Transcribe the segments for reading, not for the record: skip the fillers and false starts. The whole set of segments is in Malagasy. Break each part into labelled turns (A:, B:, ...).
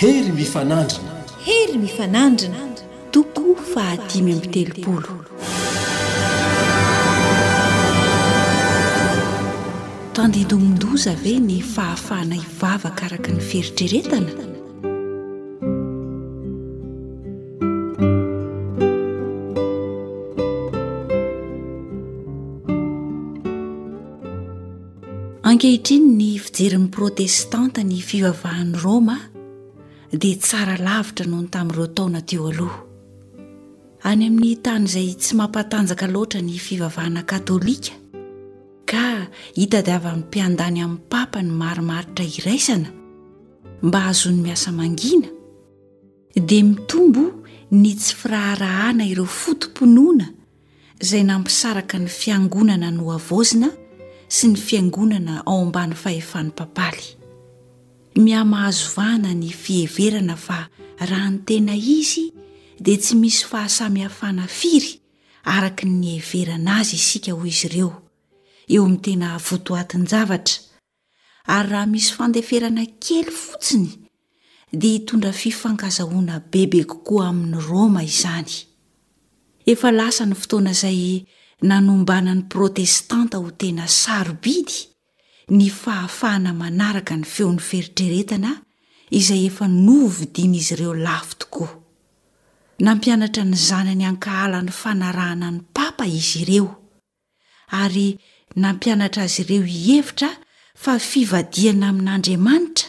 A: Hery mifanandrina.
B: Hery mifanandrina.
C: Toko fahadimy amby telopolo. Tandindomin-doza ve ny fahafahana hivavaka araka ny fieritreretana? Ankehitriny ny fijerin'ny Protestanta ny fivavahan'i Roma dia tsara lavitra noho ny tamin'ireo taona teo aloha. Any amin'ny tany izay tsy mampatanjaka loatra ny fivavahana katolika ka hitadiavan'ny mpiandany amin'ny papa ny marimaritra iraisana mba hahazoany miasa mangina, dia mitombo ny tsy firaharahana ireo foto-pinoana izay nampisaraka ny fiangonana nohavaozina sy ny fiangonana ao ambany fahefan'ny papaly. Mihamahazo vahana ny fiheverana fa raha ny tena izy dia tsy misy fahasamihafana firy araka ny niheverana azy isika hoy izy ireo, eo amin'ny tena votoatin-javatra, ary raha misy fandeferana kely fotsiny dia hitondra fifankazahoana bebe kokoa amin'i Roma izany. Efa lasa ny fotoana izay nanombanan'ny Protestanta ho tena sarobidy ny fahafahana manaraka ny feon'ny fieritreretana izay efa novidian'izy ireo lafo tokoa. Nampianatra ny zanany hankahala ny fanarahana ny Papa izy ireo. ary nampianatra azy ireo hihevitra fa fivadihana amin'Andriamanitra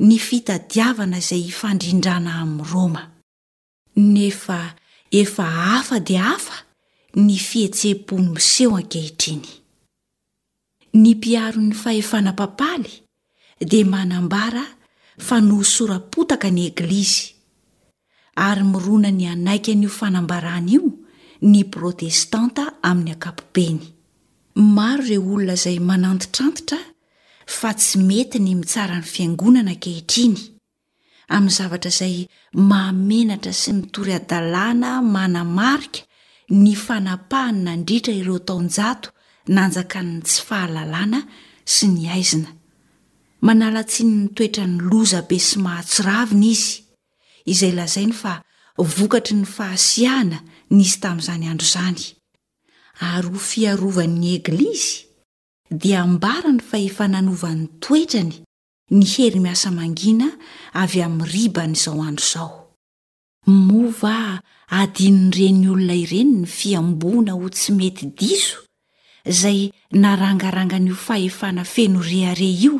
C: ny fitadiavana izay hifandrindrana amin'i Roma. Nefa efa hafa dia hafa ny fihetseham-po miseho ankehitriny. Ny mpiaro ny fahefana papaly dia manambara fa nohosoram-potaka ny Eglizy, ary mirona ny hanaiky an'io fanambarana io ny Protestanta amin'ny ankapobeny. Maro ireo olona izay manantitrantitra fa tsy mety ny mitsara ny Fiangonana ankehitriny, amin'ny zavatra izay mahamenatra sy mitory hadalana manamarika ny fanapahany nandritra ireo taonjato nanjakan'ny tsy fahalalana sy ny haizina. Manala tsiny ny toetrany loza be sy mahatsiravina izy, izay lazainy fa vokatry ny fahasiahana nisy tamin'izany andro izany. Ary ho fiarovany ny Eglizy, dia ambarany fa efa nanova ny toetrany ny hery miasa mangina avy amin'ny riban'izao andro izao. Moa va adinon'ireny olona ireny ny fihamboana ho tsy mety diso izay narangarangan'io fahefana feno rehareha io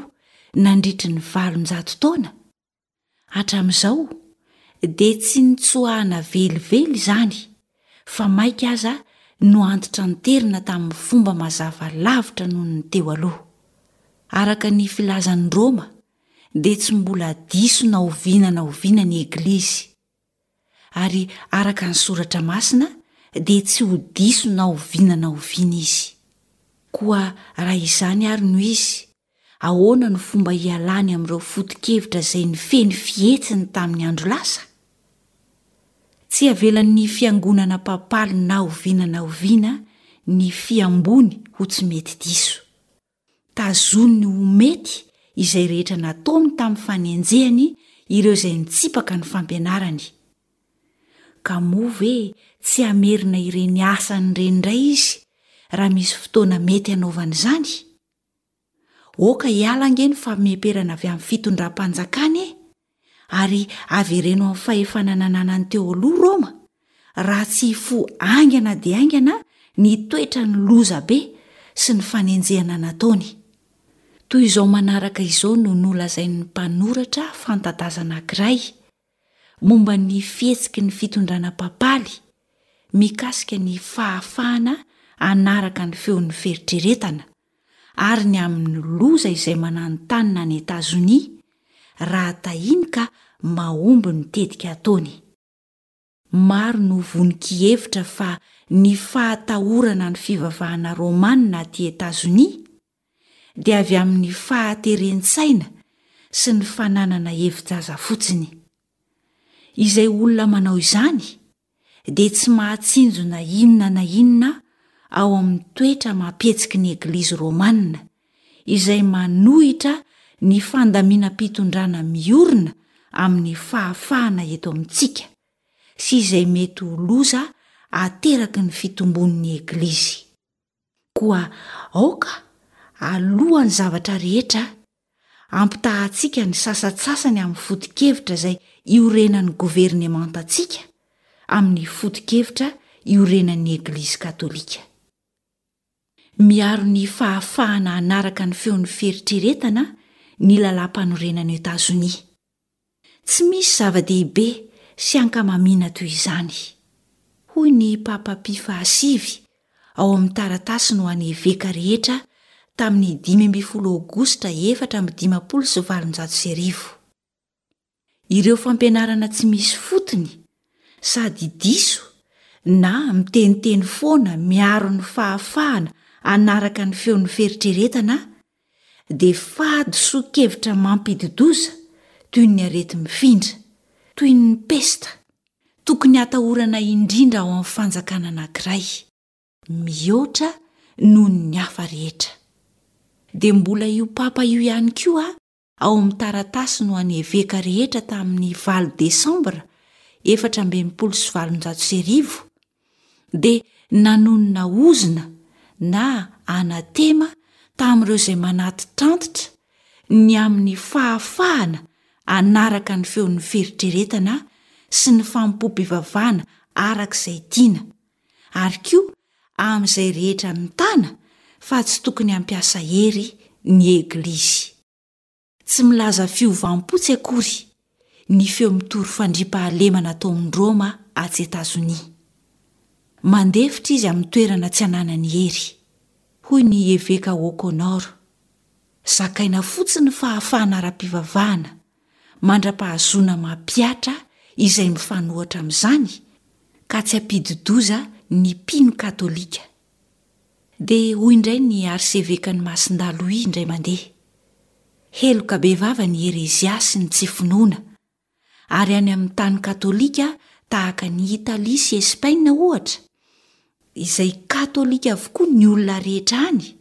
C: nandritry ny valonjato taona? Hatramin'izao dia tsy nitsoahana velively izany fa mainka aza noantitranterina tamin'ny fomba mazava lavitra noho ny teo aloha. Araka ny filazan'i Roma dia tsy mbola diso na oviana na oviana ny Eglizy, ary araka ny Soratra Masina dia tsy ho diso na oviana na oviana izy. Koa raha izany ary no izy, ahoana no fomba hialany amin'ireo foto-kevitra izay nifehy ny fihetsiny tamin'ny andro lasa? Tsy avelan'ny fiangonana papaly na oviana na oviana ny fihamboany ho tsy mety diso. Tazoniny ho mety izay rehetra nataony tamin'ny fanenjehany ireo izay nitsipaka ny fampianarany. Ka moa ve tsy hamerina ireny asany ireny indray izy raha misy fotoana mety hanaovany izany? Aoka hiala ange ny fameperana avy amin'ny fitondram-panjakana e! Ary avereno amin'ny fahefana nananany teo aloha Roma, raha tsy hifoha haingana dia haingana ny toetrany loza be sy ny fanenjehana nataony. Toy izao manaraka izao no nolazain'ny mpanoratra fanta-daza anankiray momba ny fihetsiky ny fitondrana papaly mikasika ny fahafahana hanaraka ny feon'ny fieritreretana ary ny amin'ny loza izay mananontanona any Etazonia raha tahiny ka mahomby ny tetika ataony. Maro no vonon-kihevitra fa ny fahatahorana ny fivavahana romana aty Etazonia dia avy amin'ny fahateren-tsaina sy ny fananana hevi-jaza fotsiny. Izay olona manao izany dia tsy mahatsinjo na inona na inona ao amin'ny toetra amam-pihetsiky ny Eglizy Romana, izay manohitra ny fandaminam-pitondrana miorina amin'ny fahafahana eto amintsika sy izay mety ho loza ateraky ny fitombon'ny Eglizy. Koa aoka, alohan'ny zavatra rehetra, ampitahantsika ny sasantsasany amin'ny foto-kevitra izay iorenan'ny governemantantsika amin'ny foto-kevitra iorenan'ny Eglizy katolika. Miaro ny fahafahana hanaraka ny feon'ny fieritreretana ny lalàmpanorenan'i Etazonia. Tsy misy zava-dehibe sy ankamamiana toy izany. Hoy ny Papa Pie fahasivy ao amin'ny taratasiny ho an'ny eveka rehetra tamin'ny 15 Aogositra 1854. Ireo fampianarana tsy misy fotony sady diso na miteniteny foana miaro ny fahafahana hanaraka ny feon'ny fieritreretana dia fahadisoan-kevitra mampidi-doza toy ny areti-mifindra, toy ny pesta, tokony hatahorana indrindra ao amin'ny fanjakana anankiray, mihoatra noho ny hafa rehetra. Dia mbola io papa io ihany koa ao amin'ny taratasiny ho an'ny eveka rehetra tamin'ny valo desambra 1864 dia nanonona ozona na anatema tamin'ireo izay manatitrantitra ny amin'ny fahafahana hanaraka ny feon'ny fieritreretana sy ny fanompoam-pivavahana araka izay tiana, ary koa amin'izay rehetra mitana fa tsy tokony hampiasa hery ny Eglizy. Tsy milaza fiovam-po tsy akory ny feo mitory fandriampahalemana ataon'i Roma atsy Etazonia. Mandefitra izy amin'ny toerana tsy ananany hery, hoy ny Eveka O'Connor. Zakaina fotsiny ny fahafahana ara-pivavahana mandra-pahazoana mampihatra izay mifanohitra amin'izany ka tsy hampidi-doza ny mpino katolika. Dia hoy indray ny arsevekan'i Masindahy Louis indray mandeha, Heloka bevava ny herezia sy ny tsy finoana, ary any amin'ny tany katolika tahaka an'i Italia sy Espaina ohatra, izay katolika avokoa ny olona rehetra any,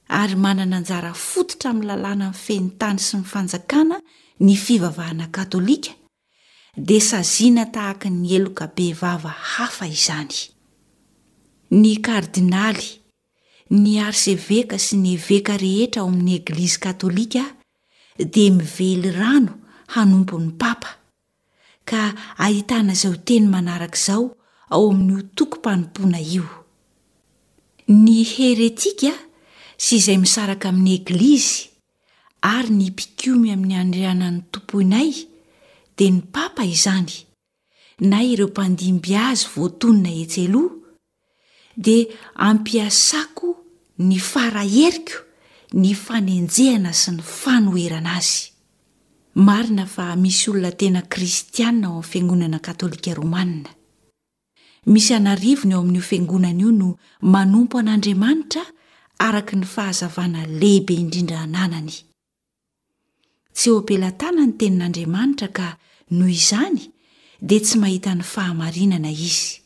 C: ary manana anjara fototra amin'ny lalàna mifehy ny tany sy ny fanjakana ny fivavahana katolika, dia saziana tahaka ny heloka bevava hafa izany. Ny kardinaly, ny arseveka sy ny eveka rehetra ao amin'ny Eglizy katolika dia mively rano hanompo ny papa, ka ahitana izao teny manaraka izao ao amin'io tokom-panompoana io, Ny heretika sy izay misaraka amin'ny Eglizy ary ny mpikomy amin'ny andrianan'ny tompoinay dia ny papa izany na ireo mpandimby azy voatonona etsy aloha dia ampiasako ny fara heriko ny fanenjehana sy ny fanoherana azy. Marina fa misy olona tena kristiana ao amin'ny fiangonana katolika romana. Misy an'arivony ao amin'io fiangonana io no manompo an'Andriamanitra araka ny fahazavana lehibe indrindra ananany. Tsy eo am-pelatana ny tenin'Andriamanitra ka noho izany dia tsy mahita ny fahamarinana izy.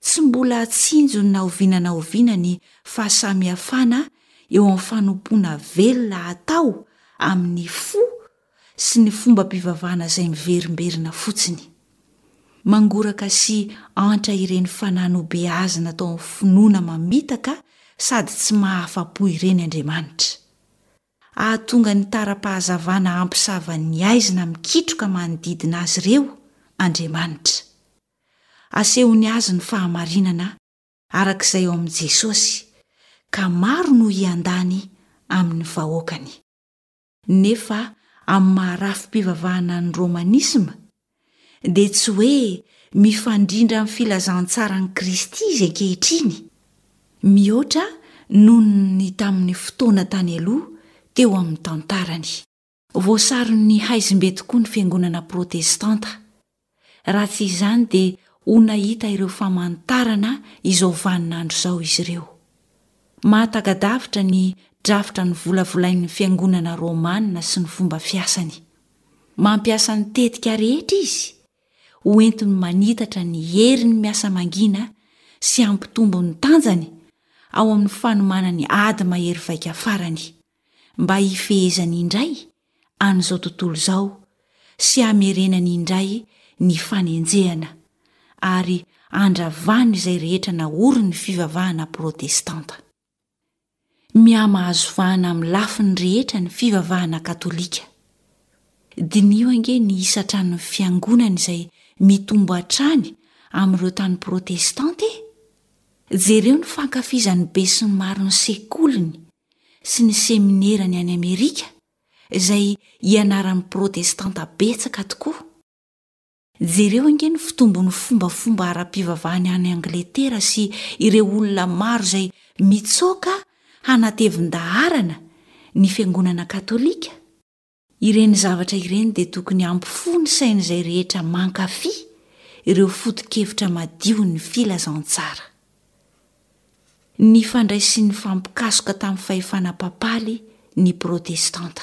C: Tsy mbola tsinjony na oviana na oviana ny fahasamihafana eo amin'ny fanompoana velona atao amin'ny fo sy ny fombam-pivavahana izay miverimberina fotsiny. Mangoraka sy antra ireny fanahy nobeazina tao amin'ny finoana mamitaka sady tsy mahafa-po ireny Andriamanitra. Hahatonga ny tara-pahazavana hampisava ny haizina mikitroka manodidina azy ireo Andriamanitra. Asehony azy ny fahamarinana araka izay ao amin'i Jesosy, ka maro no hiandany amin'ny vahoakany. Nefa amin'ny maha-rafi-pivavahana ny Romanisma, dia tsy hoe mifandrindra amin'ny filazantsaran'i Kristy izy ankehitriny, mihoatra noho ny tamin'ny fotoana tany aloha teo amin'ny tantarany. Voasaron'ny haizim-be tokoa ny Fiangonana Protestanta. Raha tsy izany dia ho nahita ireo famantarana izao vaninandro izao izy ireo. Mahataka-davitra ny drafitra novolavolain'ny Fiangonana Romana sy ny fomba fiasany. Mampiasa ny tetika rehetra izy ho entiny manitatra ny heriny miasa mangina sy hampitombo ny tanjany ao amin'ny fanomanany ady mahery vaika farany. mba hifehezany indray an'izao tontolo izao. sy hamerenany indray ny fanenjehana ary handravany izay rehetra naorin'ny fivavahana protestanta. Mihamahazo vahana amin'ny lafiny rehetra ny fivavahana katolika. Diniho ange ny isan-tranon'ny fiangonana izay mitombo hatrany amin'ireo tany protestanta e! Jereo ny fankafizan'ny besinimaro ny sekoliny sy ny seminerany any Amerika, izay ianaran'ny protestanta betsaka tokoa. Jereo ange ny fitombon'ny fombafomba ara-pivavahany any Angletera sy ireo olona maro izay mitsoaka hanatevin-daharana ny Fiangonana Katolika. Ireny zavatra ireny dia tokony hampifoha ny sain'izay rehetra mankafy ireo foto-kevitra madion'ny filazantsara. Nifandray sy nifampikasoka tamin'ny fahefana papaly ny Protestanta.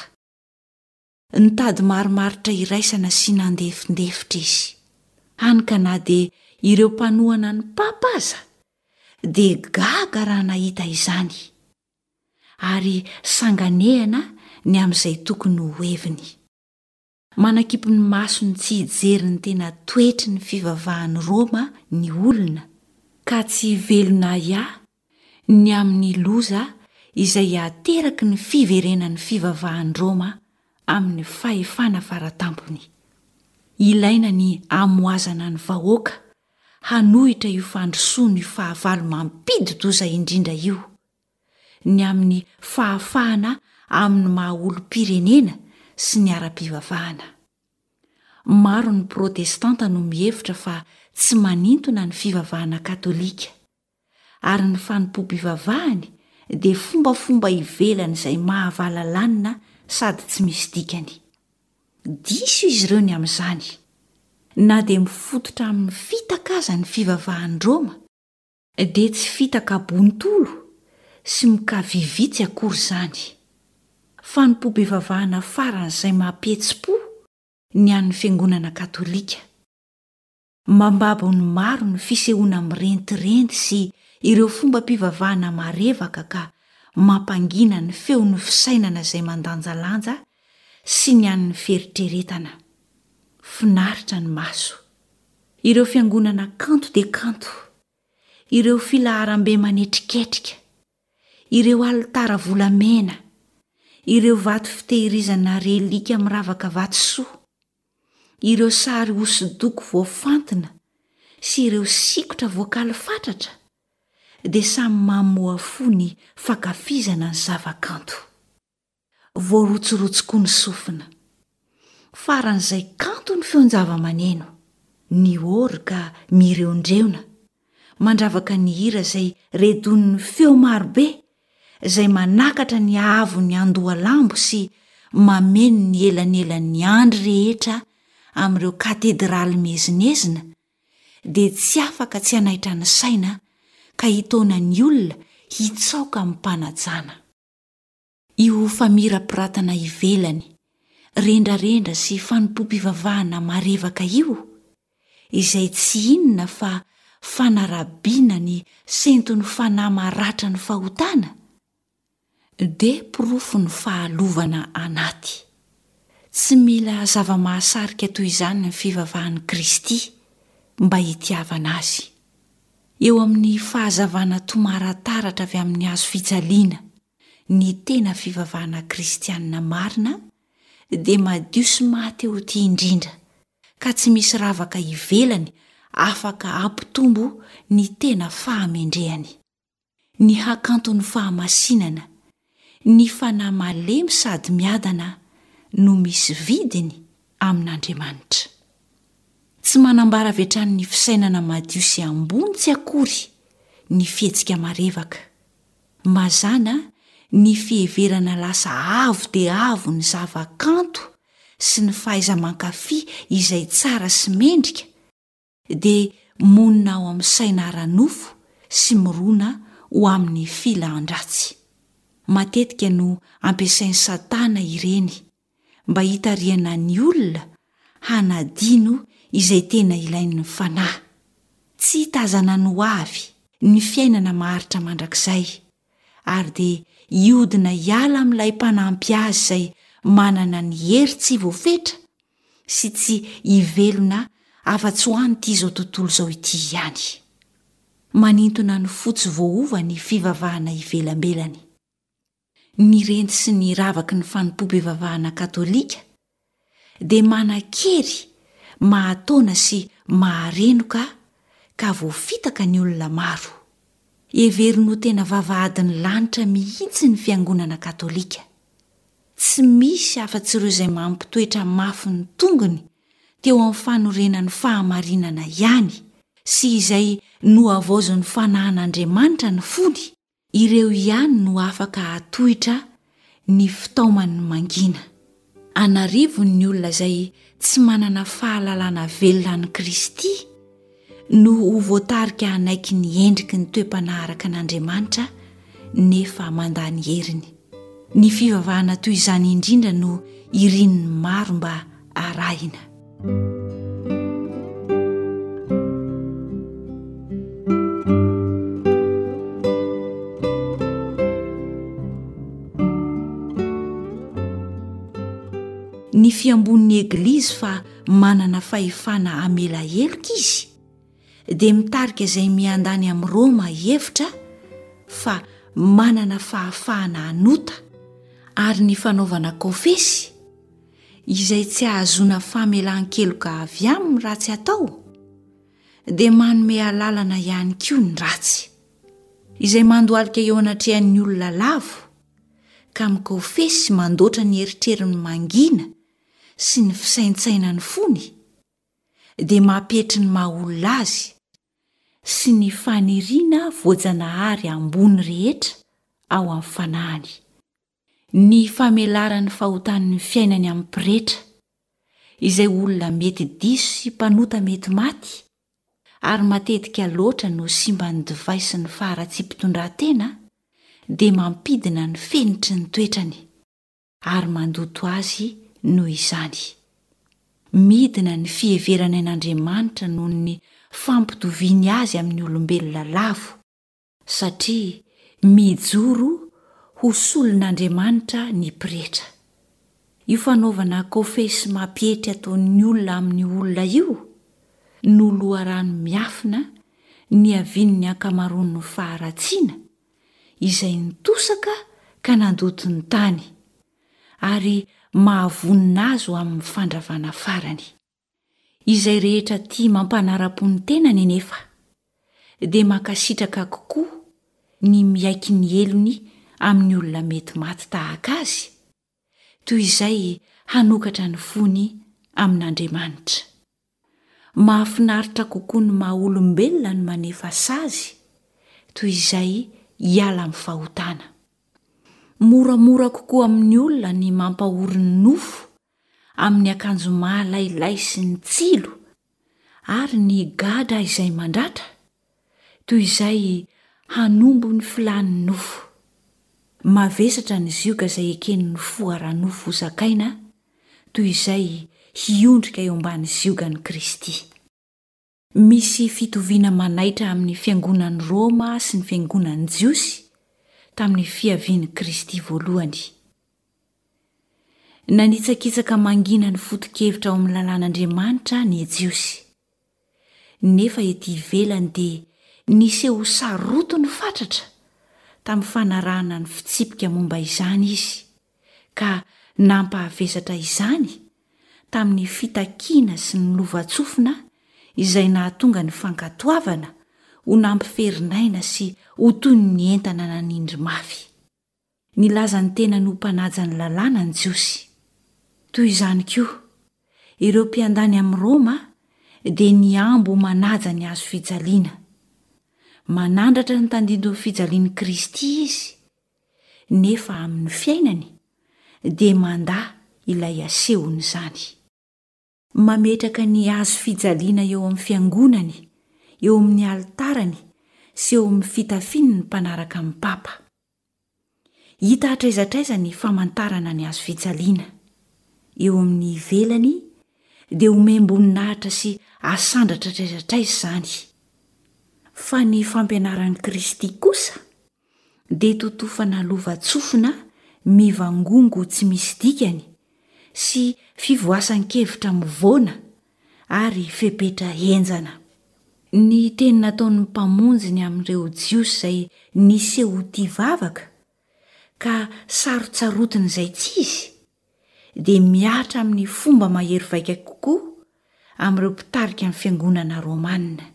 C: Nitady marimaritra iraisana sy nandefindefitra izy, hany ka na dia ireo mpanohana ny papa aza dia gaga raha nahita izany, ary sanganehana ny amin'izay tokony ho heviny. Manakimpy ny masony tsy hijery ny tena toetry ny fivavahan'i Roma ny olona, ka tsy velona ahiahy ny amin'ny loza izay hateraky ny fiverenan'ny fivavahan'i Roma amin'ny fahefana faratampony. Ilaina ny hamohazana ny vahoaka hanohitra io fandrosoan'io fahavalo mampidi-doza indrindra io, ny amin'ny fahafahana amin'ny maha-olom-pirenena sy ny ara-pivavahana. Maro ny Protestanta no mihevitra fa tsy manintona ny fivavahana katolika. ary ny fanompoam-pivavahany dia fombafomba ivelany izay mahavalalanina sady tsy misy dikany. Diso izy ireo ny amin'izany. Na dia mifototra amin'ny fitaka aza ny fivavahan'i Roma, dia tsy fitaka bontolo sy mikavivitsy akory izany. Fanompoam-pivavahana faran'izay mampihetsi-po ny an'ny Fiangonana Katolika. Mambabo ny maro ny fisehoana mirentirenty sy ireo fombam-pivavahana marevaka ka mampangina ny feon'ny fisainana izay mandanjalanja sy ny an'ny fieritreretana. Finaritra ny maso. Ireo fiangonana kanto dia kanto. Ireo filaharambe manetriketrika. Ireo alitara volamena. Ireo vato fitehirizana relika miravaka vatosoa. Ireo sary hosodoko voafantina sy ireo sikotra voakaly fatratra dia samy mamoha fo ny fankafizana ny zavakanto. Voarotsirotsy koa ny sofina. Faran'izay kanto ny feon-javamaneno, ny orga mireondreona, mandravaka ny hira izay redonin'ny feo marobe izay manakatra ny haavon'ny andohalambo sy mameno ny elanelan'ny andry rehetra amin'ireo katedraly miezinezina dia tsy afaka tsy hanaitra ny saina ka hitaona ny olona hitsaoka amim-panajana. Io famirapiratana ivelany, rendrarendra sy fanompoam-pivavahana marevaka io, izay tsy inona fa fanarabiana ny senton'ny fanahy maratra ny fahotana, dia porofon'ny fahalovana anaty. Tsy mila zava-mahasarika toy izany ny fivavahan'i Kristy mba hitiavana azy. Eo amin'ny fahazavana tomarataratra avy amin'ny hazo fijaliana, ny tena fivavahana kristianina marina dia madio sy maha-te ho tia indrindra, ka tsy misy ravaka ivelany afaka hampitombo ny tena fahamendrehany. Ny hakanton'ny fahamasinana, ny fanahy malemy sady miadana no misy vidiny amin'Andriamanitra. Tsy manambara avy hatrany ny fisainana madio sy ambony tsy akory ny fihetsika marevaka. Mazàna ny fiheverana lasa avo dia avo ny zavakanto sy ny fahaiza-mankafy izay tsara sy mendrika dia monina ao amin'ny saina ara-nofo sy mirona ho amin'ny filan-dratsy. Matetika no ampiasain'i Satana ireny mba hitarihana ny olona hanadino izay tena ilain'ny fanahy. Tsy hitazana ny hoavy, ny fiainana maharitra mandrakizay, ary dia hiodina hiala amin'ilay Mpanampy azy izay manana ny hery tsy voafetra. sy tsy hivelona afa-tsy ho an'ity izao tontolo izao ity ihany. Manintona ny fo tsy voaova ny fivavahana ivelambelany. Ny renty sy ny ravaky ny fanompoam-pivavahana katolika dia manan-kery mahataona sy maharenoka ka voafitaka ny olona maro. Heveriny ho tena vavahadin'ny lanitra mihitsy ny fiangonana katolika. Tsy misy afa-tsy ireo izay mampitoetra mafy ny tongony teo amin'ny fanorenan'ny fahamarinana ihany sy izay nohavaozin'ny fanahin'Andriamanitra ny fony, ireo ihany no afaka hahatohitra ny fitaoman'ny mangina. An'arivony ny olona izay tsy manana fahalalana velona an'i Kristy no ho voatarika hanaiky ny endriky ny toe-panahy araka an'Andriamanitra nefa mandà ny heriny. Ny fivavahana toy izany indrindra no irin'ny maro mba arahina. Ny fiambon'ny Eglizy fa manana fahefana hamela heloka izy dia mitarika izay miandany amin'i Roma hihevitra fa manana fahafahana hanota ary ny fanaovana kofesy izay tsy ahazoana famelan-keloka avy aminy raha tsy atao dia manome alalana ihany koa ny ratsy. Izay mandohalika eo anatrehan'ny olona lavo ka mikofesy mandoatra ny eritreriny mangina sy ny fisaintsainan'ny fony dia mampietry ny maha olona azy sy ny faniriana voajanahary ambony rehetra ao amin'ny fanahiny. Ny famelaran'ny fahotan'ny fiainany amin'ny pretra, izay olona mety diso sy mpanota mety maty, ary matetika loatra no simban'ny divay sy ny faharatsiam-pitondrantena, dia mampidina ny fenitry ny toetrany. ary mandoto azy noho izany. Midina ny fiheverany an'Andriamanitra noho ny fampitoviany azy amin'ny olombelona lavo, satria mijoro ho solon'Andriamanitra ny pretra. Io fanaovana kofesy mampietry ataon'ny olona amin'ny olona io no loharano miafina niavian'ny ankamaroan'ny faharatsiana izay nitosaka ka nandoto ny tany, ary mahavonona azy ho amin'ny fandravana farany. Izay rehetra tia mampanara-po ny tenany anefa, dia mankasitraka kokoa ny miaiky ny helony amin'ny olona mety maty tahaka azy, toy izay hanokatra ny fony amin'Andriamanitra. Mahafinaritra kokoa ny maha olombelona ny manefa sazy toy izay hiala amin'ny fahotana. Moramora kokoa amin'ny olona ny mampahory ny nofo amin'ny akanjo mahalailay sy ny tsilo ary ny gadra izay mandratra toy izay hanombo ny filàn'ny nofo. Mavesatra ny zioga izay eken'ny fo ara-nofo hozakaina toy izay hiondrika eo ambany ziogan'i Kristy. Misy fitoviana manaitra amin'ny Fiangonan'i Roma sy ny Fiangonan'ny Jiosy tamin'ny fiavian'i Kristy voalohany. Nanitsakitsaka mangina ny foto-kevitra ao amin'ny lalàn'Andriamanitra ny Jiosy. Nefa ety ivelany dia niseho ho sarotiny fatratra tamin'ny fanarahana ny fitsipika momba izany izy, ka nampahavesatra izany tamin'ny fitakiana sy ny lovantsofina izay nahatonga ny fankatoavana ho nampiferinaina sy ho toy ny entana nanindry mafy. Nilaza ny tenany ho mpanaja ny lalàna ny Jiosy. Toy izany koa, ireo mpiandany amin'i Roma dia nihambo ho manaja ny hazo fijaliana. Manandratra ny tandindon'ny fijalian'i Kristy izy, nefa amin'ny fiainany dia mandà ilay asehon'izany. Mametraka ny hazo fijaliana eo amin'ny fiangonany, eo amin'ny alitarany sy eo amin'ny fitafiany ny mpanaraka ny Papa. Hita hatraiza hatraiza ny famantarana ny hazo fijaliana. Eo amin'ny ivelany dia omem-boninahitra sy asandratra hatraiza hatraiza izany. Fa ny fampianaran'i Kristy kosa dia totofana lovantsofina mivangongo tsy misy dikany. sy fivoasan-kevitra mivoana ary fepetra henjana. Ny teny nataon'ny Mpamonjy ny amin'ireo Jiosy izay niseho ho tia vavaka ka sarotsarotiny izay tsy izy, dia mihatra amin'ny fomba mahery vaika kokoa amin'ireo mpitarika ny fiangonana romana.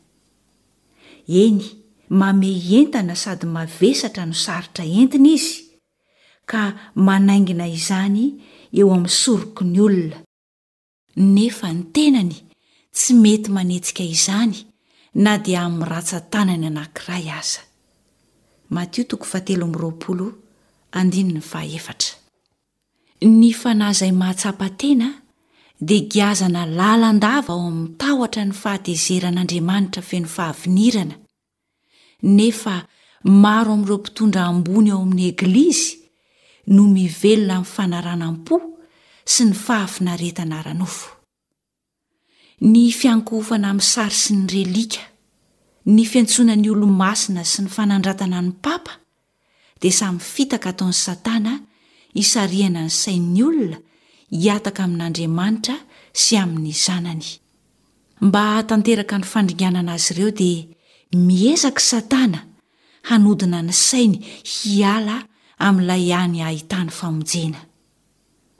C: Eny, mamehy entana sady mavesatra no sarotra entina izy, ka manaingina izany eo amin'ny soroky ny olona, nefa ny tenany tsy mety manetsika izany na dia amin'ny rantsan-tanany anankiray aza. Matio toko fahatelo amby roapolo andininy fahaefatra. Ny fanahy izay mahatsapa tena dia giazana lalandava ao amin'ny tahotra ny fahatezeran'Andriamanitra feno fahavinirana, nefa maro amin'ireo mpitondra ambony ao amin'ny Eglizy no mivelona amin'ny fanaranam-po sy ny fahafinaretana ara-nofo. Ny fiankohofana amin'ny sary sy ny relika, ny fiantsoana ny olo-masina sy ny fanandratana ny papa dia samy fitaka ataon'i Satana hisarihana ny sain'ny olona hihataka amin'Andriamanitra sy amin'ny Zanany. Mba hahatanteraka ny fandringanana azy ireo dia miezaka i Satana hanodina ny sainy hiala amin'ilay hany ahitany famonjena.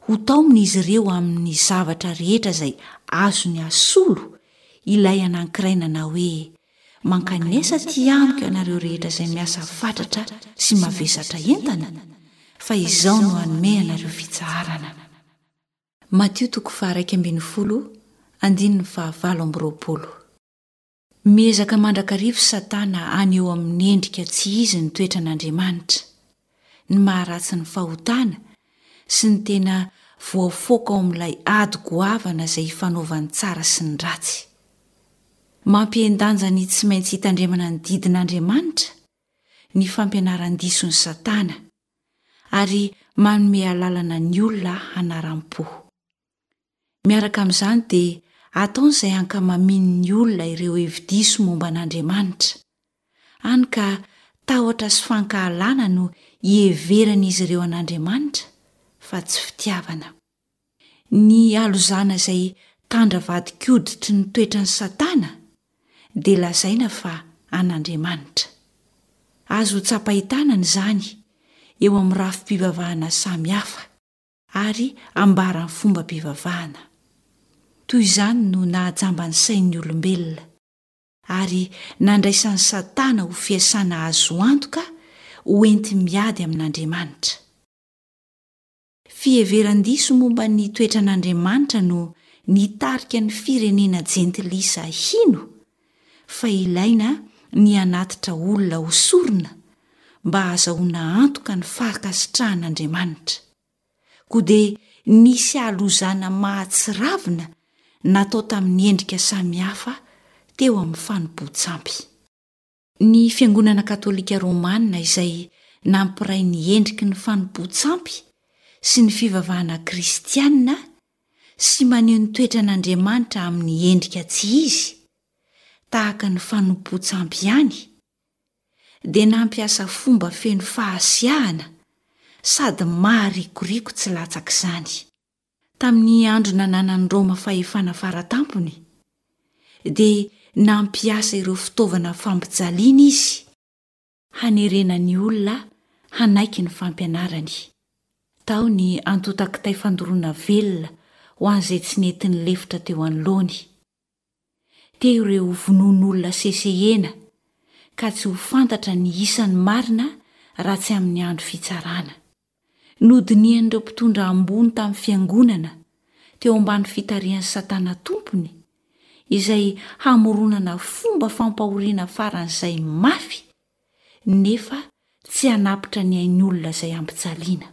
C: Hotaomina izy ireo amin'ny zavatra rehetra izay azony asolo ilay anankiray nanao hoe, Mankanesa aty amiko ianareo rehetra izay miasa fatratra sy mavesatra entana, fa Izaho no hanome anareo fitsaharana. Matio toko faha-11 andininy faha-28. Miezaka mandrakariva Satana haneho amin'ny endrika tsy izy ny toetran'Andriamanitra, ny maha-ratsy ny fahotana sy ny tena voafoaka ao amin'ilay ady goavana izay ifanaovan'ny tsara sy ny ratsy. Mampihen-danja ny tsy maintsy hitandremana ny didin'Andriamanitra ny fampianaran-dison'i Satana, ary manome alalana ny olona hanaram-po. Miaraka amin'izany dia ataony izay hankamamian'ny olona ireo hevi-diso momba an'Andriamanitra, hany ka tahotra sy fankahalana no iheveran'izy ireo an'Andriamanitra fa tsy fitiavana. Ny halozana izay tandra vadin-koditry ny toetran'i Satana dia lazaina fa an'Andriamanitra. Azo tsapain-tanana izany eo amin'ny rafi-pivavahana samihafa ary ambaran'ny fombam-pivavahana. Toy izany no nahajamba ny sain'ny olombelona, ary nandraisan'i Satana ho fiasana azo antoka ho enti-miady amin'Andriamanitra. Fiheveran-diso momba ny toetran'Andriamanitra no nitarika ny firenena jentilisa hino fa ilaina ny hanatitra olona ho sorona mba hahazahoana antoka ny fankasitrahan'Andriamanitra. Koa dia nisy halozana mahatsiravina natao tamin'ny endrika samihafa teo amin'ny fanompoan-tsampy. Ny Fiangonana Katolika Romana izay nampiray ny endriky ny fanompoan-tsampy sy ny fivavahana kristiana sy maneho ny toetran'Andriamanitra amin'ny endrika tsy izy, tahaka ny fanompoan-tsampy ihany, dia nampiasa fomba feno fahasiahana sady maharikoriko tsy latsak'izany. Tamin'ny andro nananan'i Roma fahefana fara tampony, dia nampiasa ireo fitaovana fampijaliana izy hanerena ny olona hanaiky ny fampianarany. Tao ny antontan-kitay fandoroana velona ho an'izay tsy nety nilefitra teo anoloany. Teo ireo vonoan'olona sesehena ka tsy ho fantatra ny isany marina raha tsy amin'ny andro fitsarana. Nodinihan'ireo mpitondra ambony tamin'ny fiangonana, teo ambany fitarihan'i Satana tompony, izay hamoronana fomba fampahoriana faran'izay mafy nefa tsy hanapitra ny ain'olona izay ampijaliana.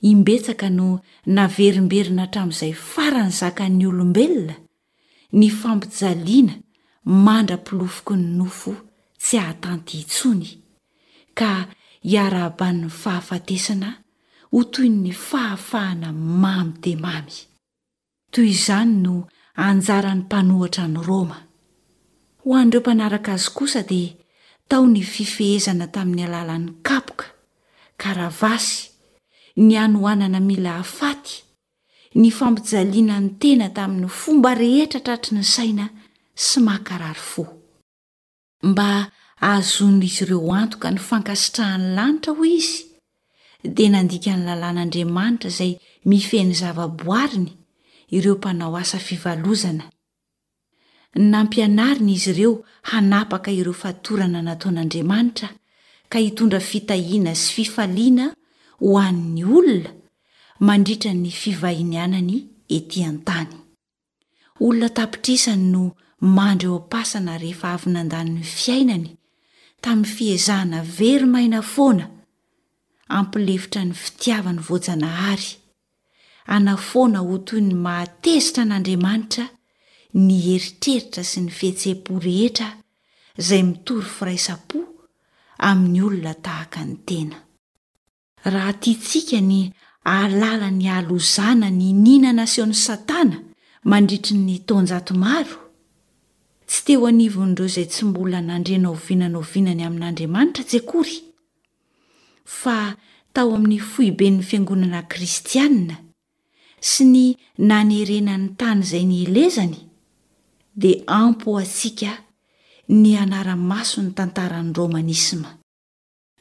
C: Imbetsaka no naverimberina hatramin'izay farany zakan'ny olombelona ny fampijaliana mandra-pilofoky ny nofo tsy hahatanty intsony, ka hiarahaban'ny fahafatesana ho toy ny fahafahana mamy dia mamy. Toy izany no anjaran'ny mpanohitra an'i Roma. Ho an'ireo mpanaraka azy kosa dia tao ny fifehezana tamin'ny alalan'ny kapoka, karavasy, ny hanoanana mila hafaty, ny fampijaliana ny tena tamin'ny fomba rehetra tratry ny saina sy mankarary fo. Mba hahazoan'izy ireo antoka ny fankasitrahan'ny lanitra, hoy izy, dia nandika ny lalàn'Andriamanitra izay mifehy ny zavaboariny ireo mpanao asa fivalozana. Nampianariny izy ireo hanapaka ireo fatorana nataon'Andriamanitra ka hitondra fitahiana sy fifaliana ho an'ny olona mandritra ny fivahinianany etỳ an-tany. Olona an-tapitrisany no mandry eo am-pasana rehefa avy nandany ny fiainany tamin'ny fiezahana very maina foana hampilefitra ny fitiavany voajanahary, hanafoana ho toy ny mahatezitra an'Andriamanitra ny eritreritra sy ny fihetseham-po rehetra izay mitory firaisam-po amin'ny olona tahaka ny tena. Raha tiantsika ny hahalala ny halozana niniana nasehon'i Satana mandritry ny taonjato maro, tsy teo anivon'ireo izay tsy mbola nandre na oviana na oviana ny amin'Andriamanitra tsy akory, fa tao amin'ny foiben'ny fiangonana kristiana sy ny nanerena ny tany izay nielezany, dia ampy ho antsika ny hanara-maso ny tantaran'ny romanisma.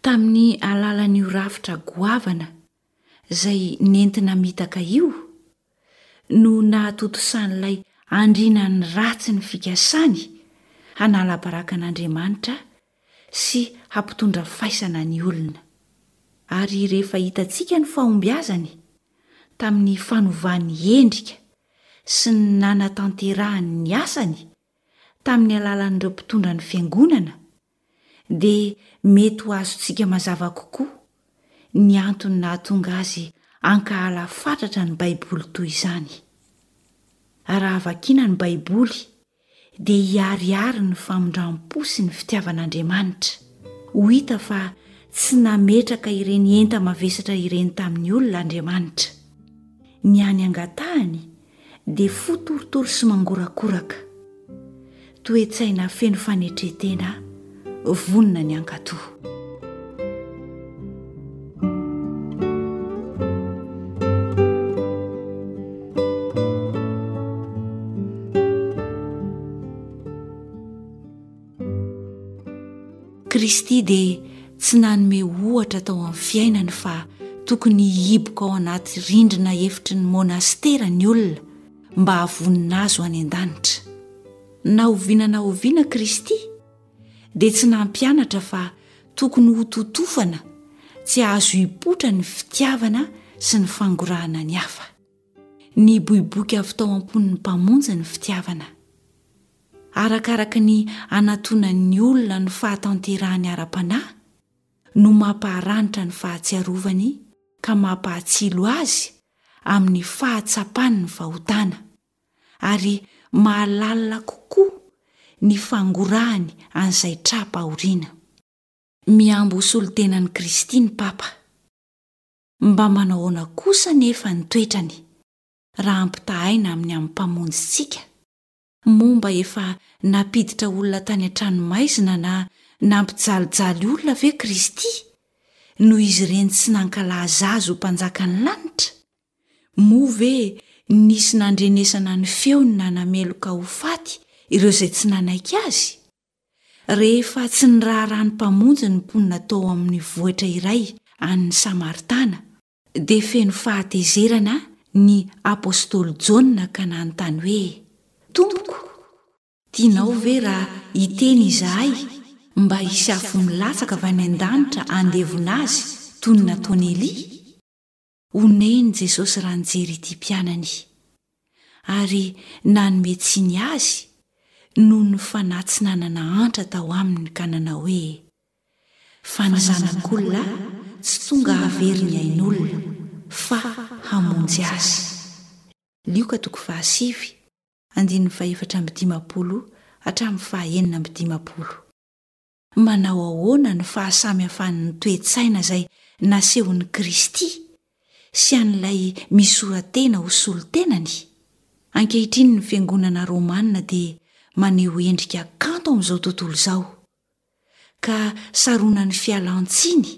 C: Tamin'ny alalan'io rafitra goavana izay nenti-namitaka io no nahatontosan'ilay andrianan'ny ratsy ny fikasany hanala baraka an'Andriamanitra sy hampitondra faisana ny olona. Ary rehefa hitantsika ny fahombiazany tamin'ny fanovany endrika sy ny nanatanterahany ny asany tamin'ny alalan'ireo mpitondra ny fiangonana, dia mety ho azontsika mazava kokoa ny antony nahatonga azy hankahala fatratra ny Baiboly toy izany. Raha vakiana ny Baiboly, dia hiharihary ny famindram-po sy ny fitiavan'Andriamanitra. Ho hita fa tsy nametraka ireny enta-mavesatra ireny tamin'ny olona Andriamanitra. Ny hany angatahany dia fo torotoro sy mangorakoraka, toe-tsaina feno fanetren-tena vonona ny hankatò. Kristy dia tsy nanome ohatra tao amin'ny fiainany fa tokony hihiboka ao anaty rindrina efitry ny monastera ny olona mba hahavonona azy ho any an-danitra. Na oviana na oviana Kristy dia tsy nampianatra fa tokony hototofana tsy hahazo hipoitra ny fitiavana sy ny fangorahana ny hafa. Niboiboika avy tao am-pon'ny Mpamonjy ny fitiavana. Arakaraka ny anatonan'ny olona ny fahatanterahany ara-panahy no mampaharanitra ny fahatsiarovany ka mampahatsilo azy amin'ny fahatsapany ny fahotana, ary mahalalina kokoa ny fangorahany an'izay tra-pahoriana. Mihambo ho solontenan'i Kristy ny Papa. Mba manao ahoana kosa anefa ny toetrany raha ampitahaina amin'ny amin'ny Mpamonjintsika? Moa mba efa nampiditra olona tany an-tranomaizina na nampijalijaly olona ve Kristy, noho izy ireny tsy nankalaza Azy ho Mpanjakan'ny lanitra? Moa ve nisy nandrenesana ny feony nanameloka ho faty ireo izay tsy nanaiky Azy? Rehefa tsy niraharaha ny Mpamonjy ny mponina tao amin'ny vohitra iray any Samaritana, dia feno fahatezerana ny apostoly Jaona ka nanontany hoe, Tompoko, tianao ve raha hiteny izahay mba hisy afo milatsaka avy any an-danitra handevona azy toy ny nataon'i Elia? Onen'i Jesosy raha nijery ity mpianany, ary nanome tsiny azy noho ny fanahy tsy nanana antra tao aminy ka nanao hoe, Fa ny Zanak'olona tsy tonga hahavery ny ain'olona, fa hamonjy azy. Lioka toko fahasivy, andininy fahefatra amby dimampolo hatramin'ny fahenina amby dimampolo. Manao ahoana ny fahasamihafan'ny toe-tsaina izay nasehon'i Kristy sy an'ilay misora-tena ho solontenany? Ankehitriny ny fiangonana romana dia maneho endrika kanto amin'izao tontolo izao. ka saronan'ny fialan-tsiny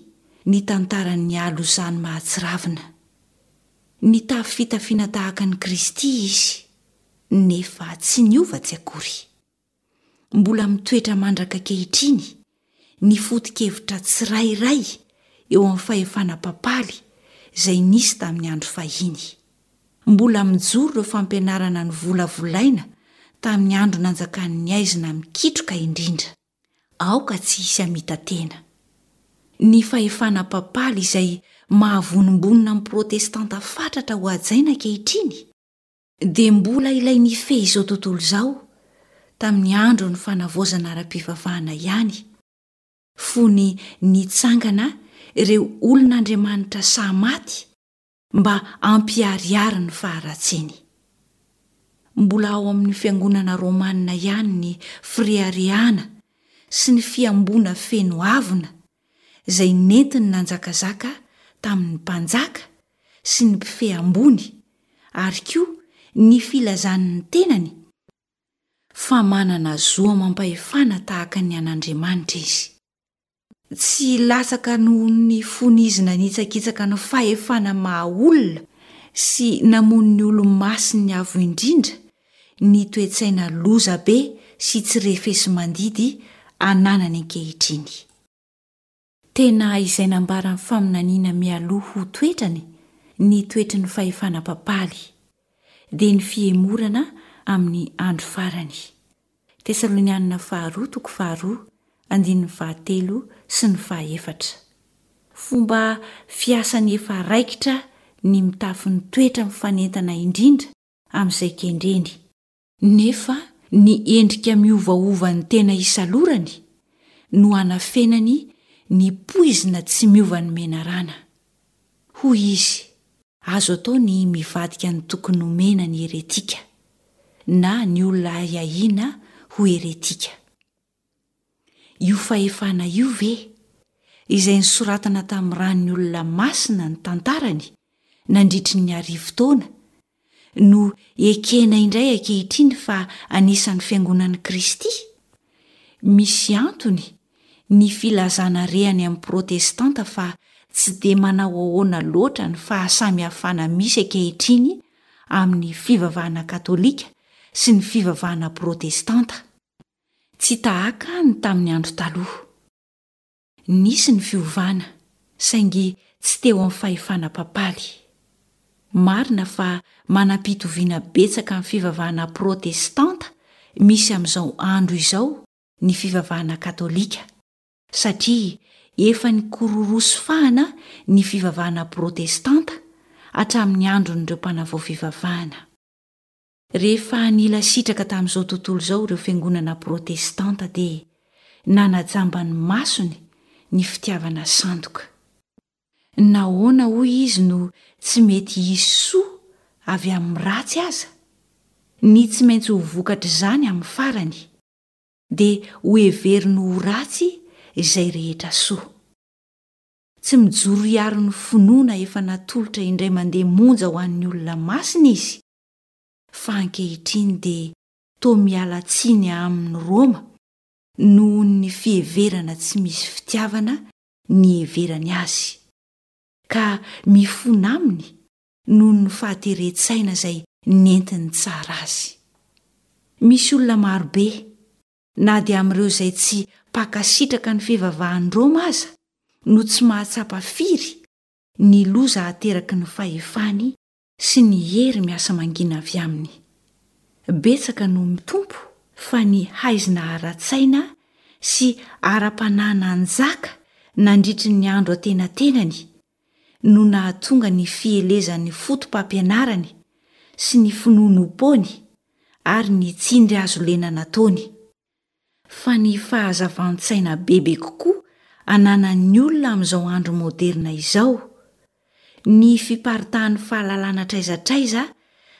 C: ny tantaran'ny halozany mahatsiravina. Nitafy fitafiana tahaka an'i Kristy izy, nefa tsy niova tsy akory. Mbola mitoetra mandraka ankehitriny ny foto-kevitra tsirairay eo amin'ny fahefana papaly izay nisy tamin'ny andro fahiny. Mbola mijoro ireo fampianarana novolavolaina tamin'ny andro nanjakan'ny haizina mikitroka indrindra. Aoka tsy hisy hamita-tena. Ny fahefana papaly izay mahavonombonona ny Protestanta fatratra ho hajaina ankehitriny dia mbola ilay nifehy izao tontolo izao tamin'ny andron'ny fanavaozana ara-pivavahana ihany, fony nitsangana ireo olon'Andriamanitra sahy maty mba hampiharihary ny faharatsiany. Mbola ao amin'ny fiangonana romana ihany ny fireharehana sy ny fihamboana feno avona izay nentiny nanjakazaka tamin'ny mpanjaka sy ny mpifehy ambony ary koa ny filazany ny tenany fa manana zo amam-pahefana tahaka ny an'Andriamanitra izy. Tsy latsaka noho ny fony izy nanitsakitsaka ny fahefana maha olona sy namono ny olo-masin'ny Avo Indrindra ny toe-tsaina lozabe sy tsy refesi-mandidy ananany ankehitriny. Tena izay nambaran'ny faminaniana mialoha ho toetrany ny toetry ny fahefana papaly, dia ny fihemorana amin'ny andro farany. Tesalonianina Faharoa toko faharoa andininy fahatelo sy ny fahaefatra. Fomba fiasany efa raikitra ny mitafy ny toetra mifanentana indrindra amin'izay kendreny, nefa ny endrika miovaovan'ny tena isalorany no anafenany ny poizina tsy miovan'ny menarana. Hoy izy, Azo atao ny mivadika ny tokony homena ny heretika, na ny olona ahiahiana ho heretika. Io fahefana io ve, izay nosoratana tamin'ny ran'ny olona masina ny tantarany nandritry ny arivotaona, no ekena indray ankehitriny fa anisan'ny Fiangonan'i Kristy? Misy antony ny filazana re any amin'ny Protestanta fa tsy dia manao ahoana loatra ny fahasamihafana misy ankehitriny amin'ny fivavahana katolika sy ny fivavahana protestanta. Tsy tahaka ny tamin'ny andro taloha. Nisy ny fiovana, saingy tsy teo amin'ny fahefana papaly. Marina fa manam-pitoviana betsaka amin'ny fivavahana protestanta misy amin'izao andro izao ny fivavahana katolika, satria efa nikororosy fahana ny fivavahana protestanta hatramin'ny andron'ireo mpanavao fivavahana. Rehefa nila sitraka tamin'izao tontolo izao ireo fiangonana protestanta dia nanajamba ny masony ny fitiavana sandoka. Nahoana hoy izy no tsy mety hisy soa avy amin'ny ratsy aza? Ny tsy maintsy ho vokatr'izany amin'ny farany dia hoheveriny ho ratsy izay rehetra soa. Tsy mijoro hiaro ny finoana efa natolotra indray mandeha monja ho an'ny olona masina izy, fa ankehitriny dia toa miala tsiny aminy Roma noho ny fiheverana tsy misy fitiavana niheverany azy, ka mifona aminy noho ny fahateren-tsaina izay nentiny tsara azy. Misy olona marobe, na dia amin'ireo izay tsy mpankasitraka ny fivavahan'i Roma aza, no tsy mahatsapa firy ny loza ateraky ny fahefany sy ny hery miasa mangina avy aminy. Betsaka no mitompo fa ny haizina ara-tsaina sy ara-panahy nanjaka nandritry ny andro antenatenany no nahatonga ny fielezan'ny foto-pampianarany sy ny finoanoam-poany ary ny tsindry hazo lena nataony. Fa ny fahazavan-tsaina bebe kokoa ananan'ny olona amin'izao andro moderina izao, ny fiparitahan'ny fahalalana hatraiza hatraiza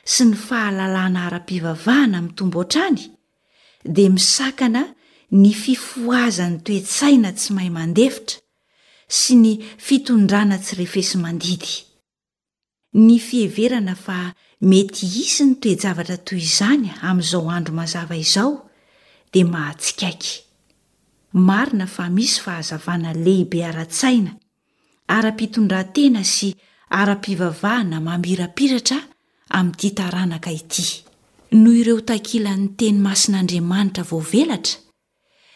C: sy ny fahalalana ara-pivavahana mitombo hatrany, dia misakana ny fifohazan'ny toe-tsaina tsy mahay mandefitra sy ny fitondrana tsy refesi-mandidy. Ny fiheverana fa mety hisy ny toe-javatra toy izany amin'izao andro mazava izao dia mahatsikaiky. Marina fa misy fahazavana lehibe ara-tsaina, ara-pitondran-tena sy. ara-pivavahana mamirapiratra amin'ity taranaka ity. Noho ireo takilan'ny teny masin'Andriamanitra voavelatra,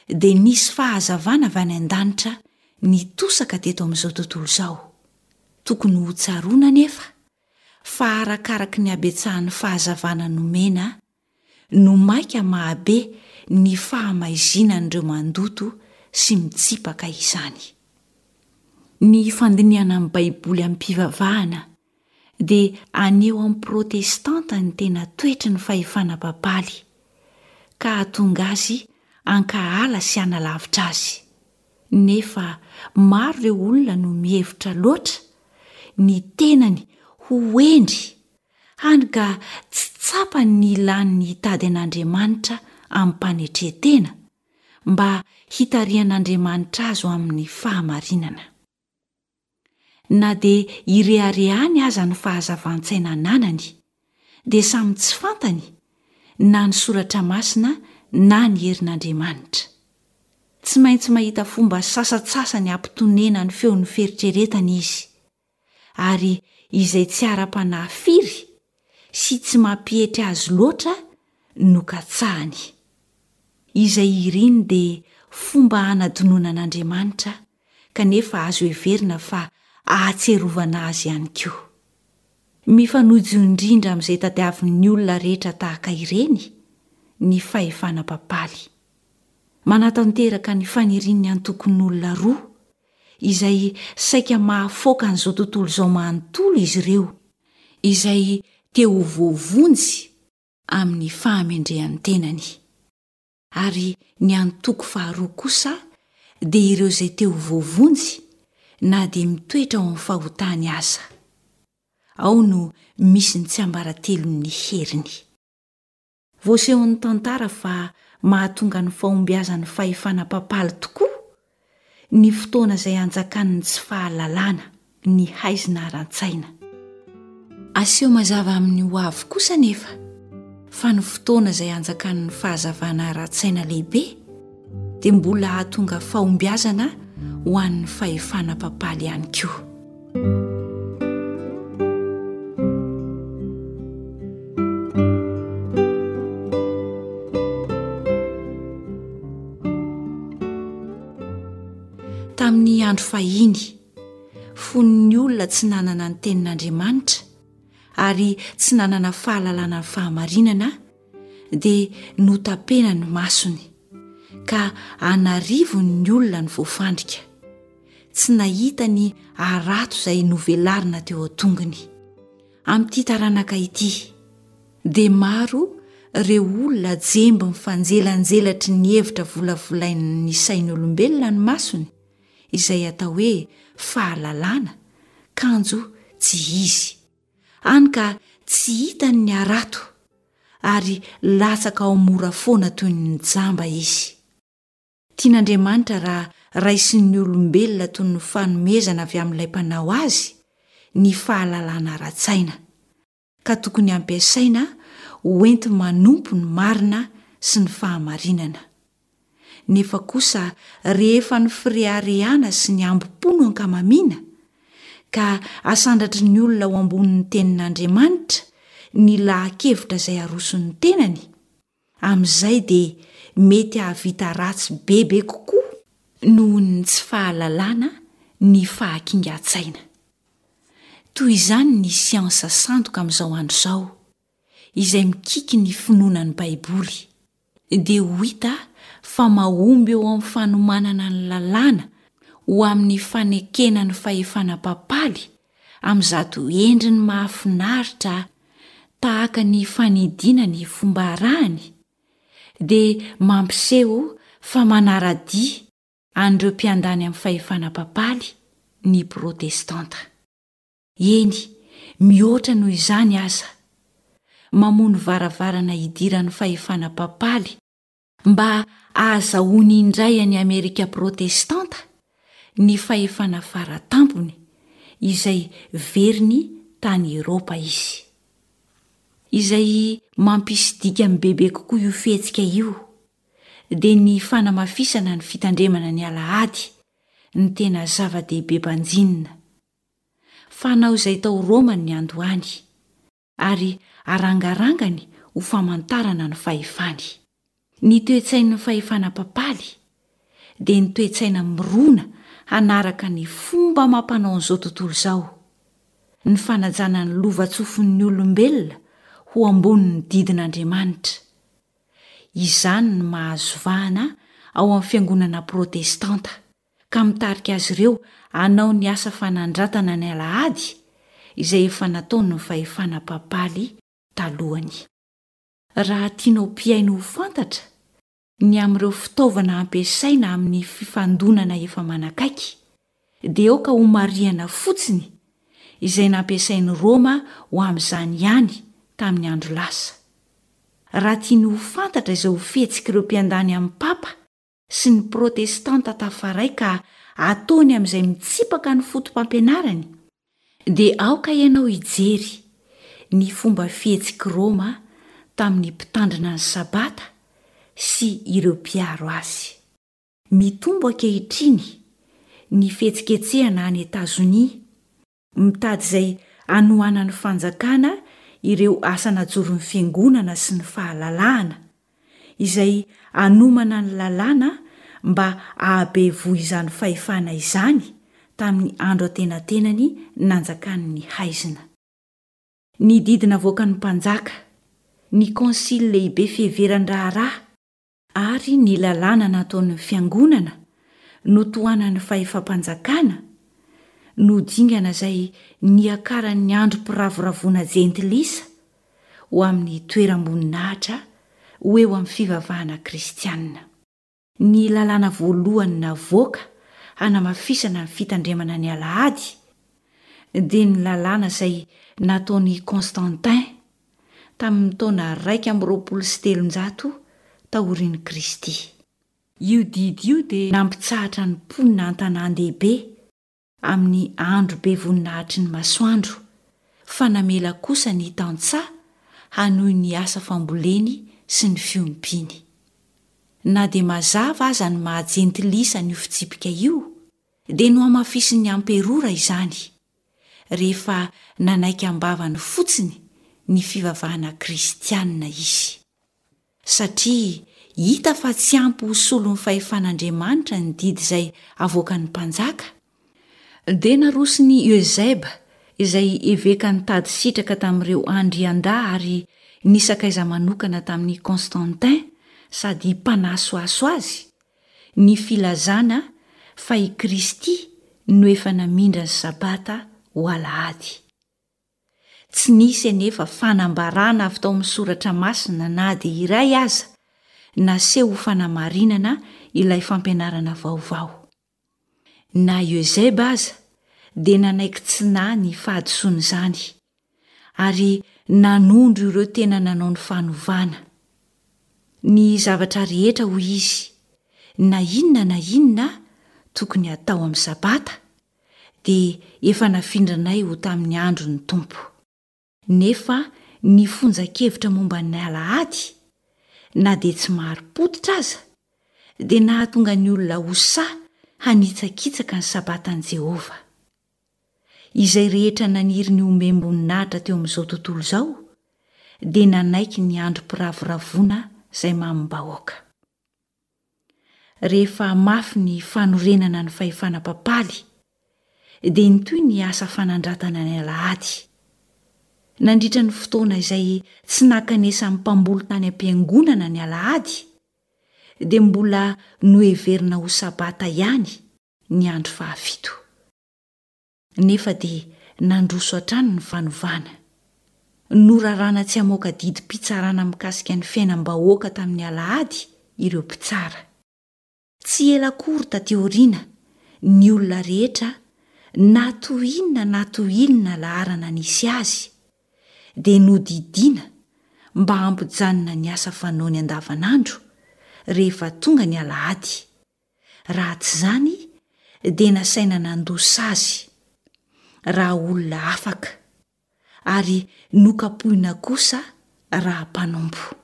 C: dia nisy fahazavana avy any an-danitra nitosaka teto amin'izao tontolo izao. Tokony hotsaroana anefa fa arakaraky ny habetsahan'ny fahazavana nomena no mainka mahabe ny fahamaizinan'ireo mandoto sy mitsipaka izany. Ny fandinihana ny Baiboly amim-pivavahana dia haneho amin'ny Protestanta ny tena toetry ny fahefana papaly, ka hahatonga azy hankahala sy hanalavitra azy. Nefa maro ireo olona no mihevitra loatra ny tenany ho hendry, hany ka tsy tsapany ny ilany ny hitady an'Andriamanitra amim-panetren-tena, mba hitarihan'Andriamanitra azy ho amin'ny fahamarinana. Na dia ireharehany aza ny fahazavan-tsaina ananany, dia samy tsy fantany na ny Soratra Masina na ny herin'Andriamanitra. Tsy maintsy mahita fomba sasantsasany hampitonena ny feon'ny fieritreretany izy, ary izay tsy ara-panahy firy sy tsy mampietry azy loatra no katsahany. Izay iriny dia fomba hanadinoana an'Andriamanitra kanefa azo heverina fa ahatsiarovana azy ihany koa. Mifanojo indrindra amin'izay tadiavin'ny olona rehetra tahaka ireny ny fahefana papaly. Manatanteraka ny fanirian'ny antokon'olona roa izay saika mahafoaka an'izao tontolo izao manontolo izy ireo, izay te ho voavonjy amin'ny fahamendrehan'ny tenany. Ary ny antoko faharoa kosa dia ireo izay te ho voavonjy na dia mitoetra ao amin'ny fahotany aza. Ao no misy ny tsiambaratelon'ny heriny. Voasehon'ny tantara fa mahatonga ny fahombiazan'ny fahefana papaly tokoa ny fotoana izay anjakan'ny tsy fahalalana, ny haizina ara-tsaina. Aseho mazava amin'ny ho avy kosa anefa fa ny fotoana izay anjakan'ny fahazavana ara-tsaina lehibe dia mbola hahatonga fahombiazana ho an'ny fahefana papaly ihany koa. Tamin'ny andro fahiny, fony ny olona tsy nanana ny tenin'Andriamanitra ary tsy nanana fahalalana ny fahamarinana, dia notapena ny masony, ka an'arivony ny olona no voafandrika. Tsy nahita ny harato izay novelarina teo an-tongony. Amin'ity taranaka ity, dia maro ireo olona jemby mifanjelanjelatry ny hevitra volavolain'ny sain'olombelona ny masony, izay atao hoe fahalalana, kanjo tsy izy. Hany ka tsy hitany ny harato, ary latsaka ao mora foana toy ny jamba izy. Tian'Andriamanitra raha raisin'ny olombelona toy ny fanomezana avy amin'ilay Mpanao azy ny fahalalana ara-tsaina, ka tokony hampiasaina hoenti-manompo ny marina sy ny fahamarinana. Nefa kosa rehefa ny fireharehana sy ny hambom-po no ankamamiana, ka asandratry ny olona ho ambonin'ny Tenin'Andriamanitra ny laha-kevitra izay aroson'ny tenany, Amin'izay dia mety hahavita ratsy bebe kokoa noho ny tsy fahalalana ny fahakingan-tsaina. Toy izany ny siansa sandoka amin'izao andro izao, izay mikiky ny finoana ny Baiboly, dia ho hita fa mahomby eo amin'ny fanomanana ny lalàna ho amin'ny fanekena ny fahefana papaly amin'izato endriny mahafinaritra tahaka ny fanidiana ny fomba arahany, dia mampiseho fa manara-dia an'ireo mpiandany amin'ny fahefana papaly ny Protestanta. Eny, mihoatra noho izany aza, mamono varavarana hidiran'ny fahefana papaly Mba hahazahoany indray an'i Amerika Protestanta ny fahefana fara tampony izay veriny tany Eropa izy. Izay mampisy dikany bebe kokoa io fihetsika io dia ny fanamafisana ny fitandremana ny alahady ny tena zava-dehibe banjinina. Fanao izay tao Roma ny niandohany, ary arangarangany ho famantarana ny fahefany. Ny toe-tsain'ny fahefana papaly dia ny toe-tsaina mirona hanaraka ny fomba amam-panaon'izao tontolo izao, ny fanajana ny lova-tsofin'ny olombelona ho ambonin'ny didin'Andriamanitra. Izany no mahazo vahana ao amin'ny fiangonana protestanta, ka mitarika azy ireo hanao ny asa fanandratana ny alahady izay efa nataon'ny fahefana papaly talohany. Raha tianao mpihaino ho fantatra ny amin'ireo fitaovana ampiasaina amin'ny fifandonana efa manakaiky, dia aoka homarihana fotsiny izay nampiasain'i Roma ho amin'izany ihany tamin'ny andro lasa. Raha tiany ho fantatra izay ho fihetsik'ireo mpiandany amin'ny Papa sy ny Protestanta tafaray ka ataony amin'izay mitsipaka ny foto-pampianarany, dia aoka ianao hijery ny fomba fihetsik'i Roma tamin'ny mpitandrina ny Sabata sy ireo mpiaro azy. Mitombo ankehitriny ny fihetsiketsehana any Etazonia Mitady izay hanohanan'ny fanjakana ireo asa najoron'ny fiangonana sy ny fahalalahana, izay hanomana ny lalàna mba hahabe voa izany fahefana izany tamin'ny andro antenatenany nanjakan'ny haizina. Ny didy navoakan'ny mpanjaka, ny konsily lehibe fiheveran-draharaha, ary ny lalàna nataon'ny fiangonana notohanan'ny fahefam-panjakana no dingana izay niakaran'ny androm-piravoravoana jentilisa ho amin'ny toeram-boninahitra ho eo amin'ny fivavahana kristiana. Ny lalàna voalohany navoaka hanamafisana ny fitandremana ny alahady dia ny lalàna izay nataon'i Constantin tamin'ny taona 321 taorian'i Kristy. Io didy io dia nampitsahatra ny mponina an-tanàn-dehibe amin'ny andro be voninahitry ny masoandro, fa namela kosa ny tantsaha hanohy ny asa famboleny sy ny fiompiany. Na dia mazava aza ny maha jentilisa an'io fitsipika io, dia nohamafisin'ny amperora izany, rehefa nanaiky am-bavany fotsiny ny fivavahana kristianina izy. Satria hita fa tsy ampy ho solon'ny fahefan'Andriamanitra ny didy izay avoakan'ny mpanjaka, dia naroson'i Eusèbe, izay eveka nitady sitraka tamin'ireo andriandahy ary nisakaiza manokana tamin'i Constantin sady mpanasohaso azy, ny filazana fa i Kristy no efa namindra ny Sabata ho Alahady. Tsy nisy anefa fanambarana avy tao amin'ny Soratra Masina na dia iray aza naseho ho fanamarinana ilay fampianarana vaovao. Na Eusèbe aza dia nanaiky tsy nahy ny fahadisoan'izany, ary nanondro ireo tena nanao ny fanovana. Ny zavatra rehetra, hoy izy, na inona na inona tokony hatao amin'ny Sabata, dia efa nafindranay ho tamin'ny andron'ny Tompo. Nefa ny fonjan-kevitra momba ny Alahady, na dia tsy marim-pototra aza, dia nahatonga ny olona ho sahy hanitsakitsaka ny Sabatan'i Jehovah. Izay rehetra naniry ny homem-boninahitra teo amin'izao tontolo izao dia nanaiky ny androm-piravoravoana izay mamim-bahoaka. Rehefa mafy ny fanorenana ny fahefana papaly, dia nitohy ny asa fanandratana ny alahady. Nandritra ny fotoana izay tsy nankanesan'ny mpamboly tany am-piangonana ny alahady, dia mbola noheverina ho Sabata ihany ny andro fahafito. Nefa dia nandroso hatrany ny fanovana. Norarana tsy hamoaka didim-pitsarana mikasika ny fiainam-bahoaka tamin'ny alahady ireo mpitsara. Tsy ela akory taty aoriana, ny olona rehetra, na toy inona na toy inona laharana nisy azy, dia nodidiana mba hampijanona ny asa fanaony andavanandro rehefa tonga ny alahady. Raha tsy izany dia nasaina nandoa sazy raha olona afaka, ary nokapohina kosa raha mpanompo.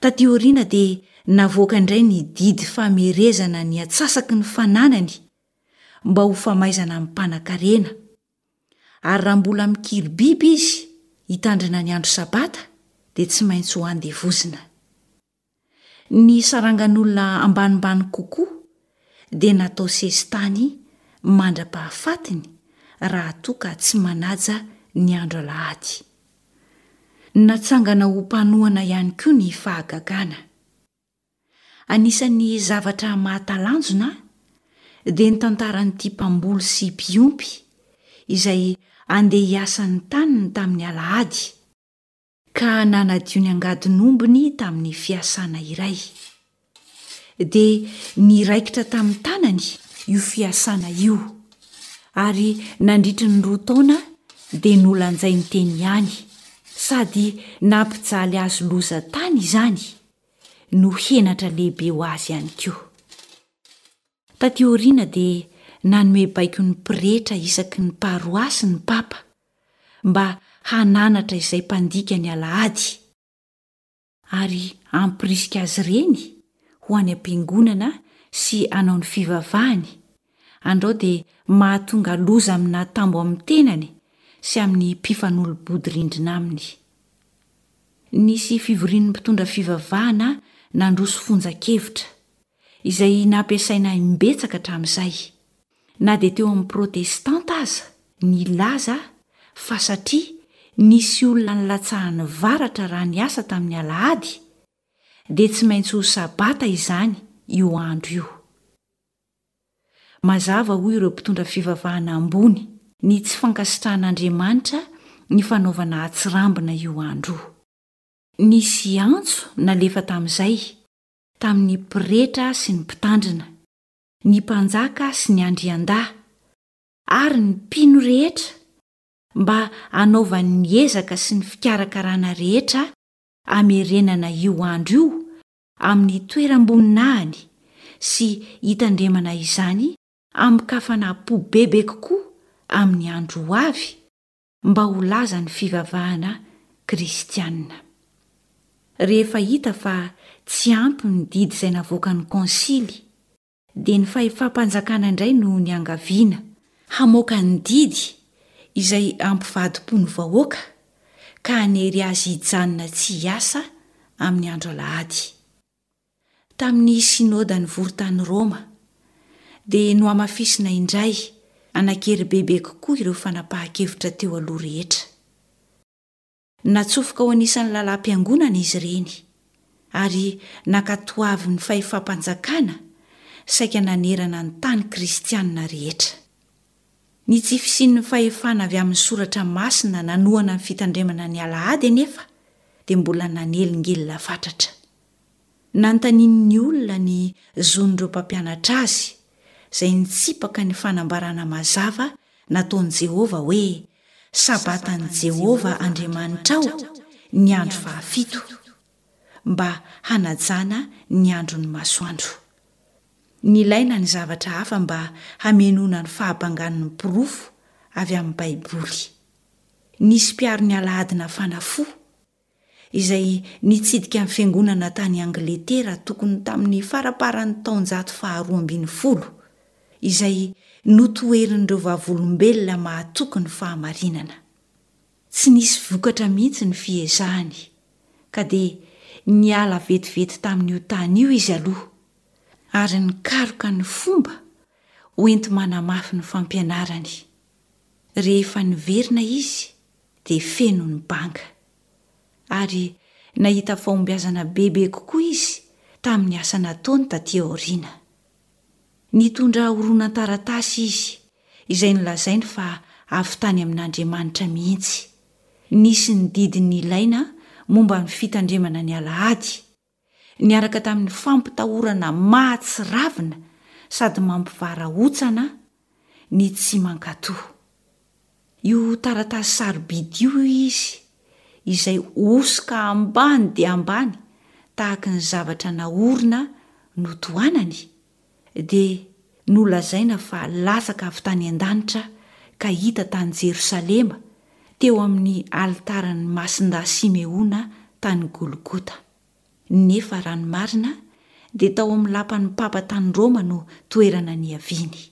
C: Taty aoriana dia navoaka indray ny didy famerezana ny atsasaky ny fananany mba ho famaizana ny mpanankarena. Ary raha mbola mikiry biby izy hitandrina ny andro Sabata dia tsy maintsy ho andevozina. Ny sarangan'olona ambanimbany kokoa dia natao sesitany mandra-pahafatiny raha toa ka tsy manaja ny andro alahady. Natsangana ho mpanohana ihany koa ny fahagagana. Anisan'ny zavatra mahatalanjona dia ny tantaran'ity mpamboly sy mpiompy izay andeha hiasa ny taniny tamin'ny alahady, ka nanadio ny angadin'ombiny tamin'ny fiasana iray. Dia niraikitra tamin'ny tanany io fiasana io, ary nandritry ny roa taona dia nolanjainy teny ihany, sady nampijaly azy loza tany izany, no henatra lehibe ho azy ihany koa. Taty aoriana dia nanome baiko ny pretra isaky ny paroasy ny papa mba hananatra izay mpandika ny alahady ary hampirisika azy ireny ho any am-piangonana sy hanao ny fivavahany, andrao dia mahatonga loza amin'atambo amin'ny tenany sy amin'ny mpifanolo-bodirindrina aminy. Nisy fivorian'ny mpitondra fivavahana nandroso fonjan-kevitra, izay nampiasaina imbetsaka hatramin'izay, na dia teo amin'ny Protestanta aza, nilaza fa satria nisy olona nilatsahan'ny varatra raha niasa tamin'ny alahady, dia tsy maintsy ho Sabata izany io andro io. Mazava, hoy ireo mpitondra fivavahana ambony, ny tsy fankasitrahan'Andriamanitra ny fanaovana atsirambina io andro io. Nisy antso nalefa tamin'izay, tamin'ny pretra sy ny mpitandrina, ny mpanjaka sy ny andriandahy, ary ny mpino rehetra mba hanaovany ny ezaka sy ny fikarakarana rehetra hamerenana io andro io amin'ny toeram-boninahiny sy hitandremana izany amin-kafanam-po bebe kokoa amin'ny andro ho avy mba ho lazan'ny fivavahana kristiana. Rehefa hita fa tsy ampy ny didy izay navoakan'ny konsily, dia ny fahefam-panjakana indray no niangaviana hamoaka ny didy izay hampivadi-po ny vahoaka ka hanery azy hijanona tsy hiasa amin'ny andro alahady. Tamin'ny Synoda nivory tany Roma, dia nohamafisina indray hanan-kery bebe kokoa ireo fanapahan-kevitra teo aloha rehetra. Natsofoka ho anisan'ny lalàm-piangonana izy ireny, ary nankatoavin'ny fahefam-panjakana saika nanerana ny tany kristianina rehetra. Ny tsy fisian'ny fahefana avy amin'ny Soratra Masina nanohana ny fitandremana ny Alahady anefa dia mbola nanelingelina fatratra. Nanontanian'ny olona ny zon'ireo mpampianatra azy, izay nitsipaka ny fanambarana mazava nataon'i Jehovah hoe, Sabatan'i Jehovah Andriamanitrao ny andro fahafito, mba hanajana ny andron'ny masoandro. Nilaina ny zavatra hafa mba hamenoana ny fahabangan'ny porofo avy amin'ny Baiboly. Nisy mpiaro ny Alahady nafana fo, izay nitsidika ny fiangonana tany Angletera tokony tamin'ny faramparan'ny taonjato faharoa ambinifolo, izay notoherin'ireo vavolombelona mahatoky ny fahamarinana. Tsy nisy vokatra mihitsy ny fiezahany, ka dia niala vetivety tamin'io tany io izy aloha, ary nikaroka ny fomba hoenti-manamafy ny fampianarany. Rehefa niverina izy dia feno ny banga. Ary nahita fahombiazana bebe kokoa izy tamin'ny asa nataony tatỳ aoriana. Nitondra horonan-taratasy izy, izay nolazainy fa avy tany amin'Andriamanitra mihitsy. Nisy ny didy nilaina momba ny fitandremana ny alahady, niaraka tamin'ny fampitahorana mahatsiravina sady mampivarahontsana ny tsy mankatò. Io taratasy sarobidy io, hoy izy, izay hosoka ambany dia ambany tahaky ny zavatra naorina notohanany, dia nolazaina fa latsaka avy tany an-danitra ka hita tany Jerosalema, teo amin'ny alitaran'i Masindahy Simeona tany Golgota. Nefa raha ny marina dia tao amin'ny lapan'ny papa tany Roma no toerana niaviany.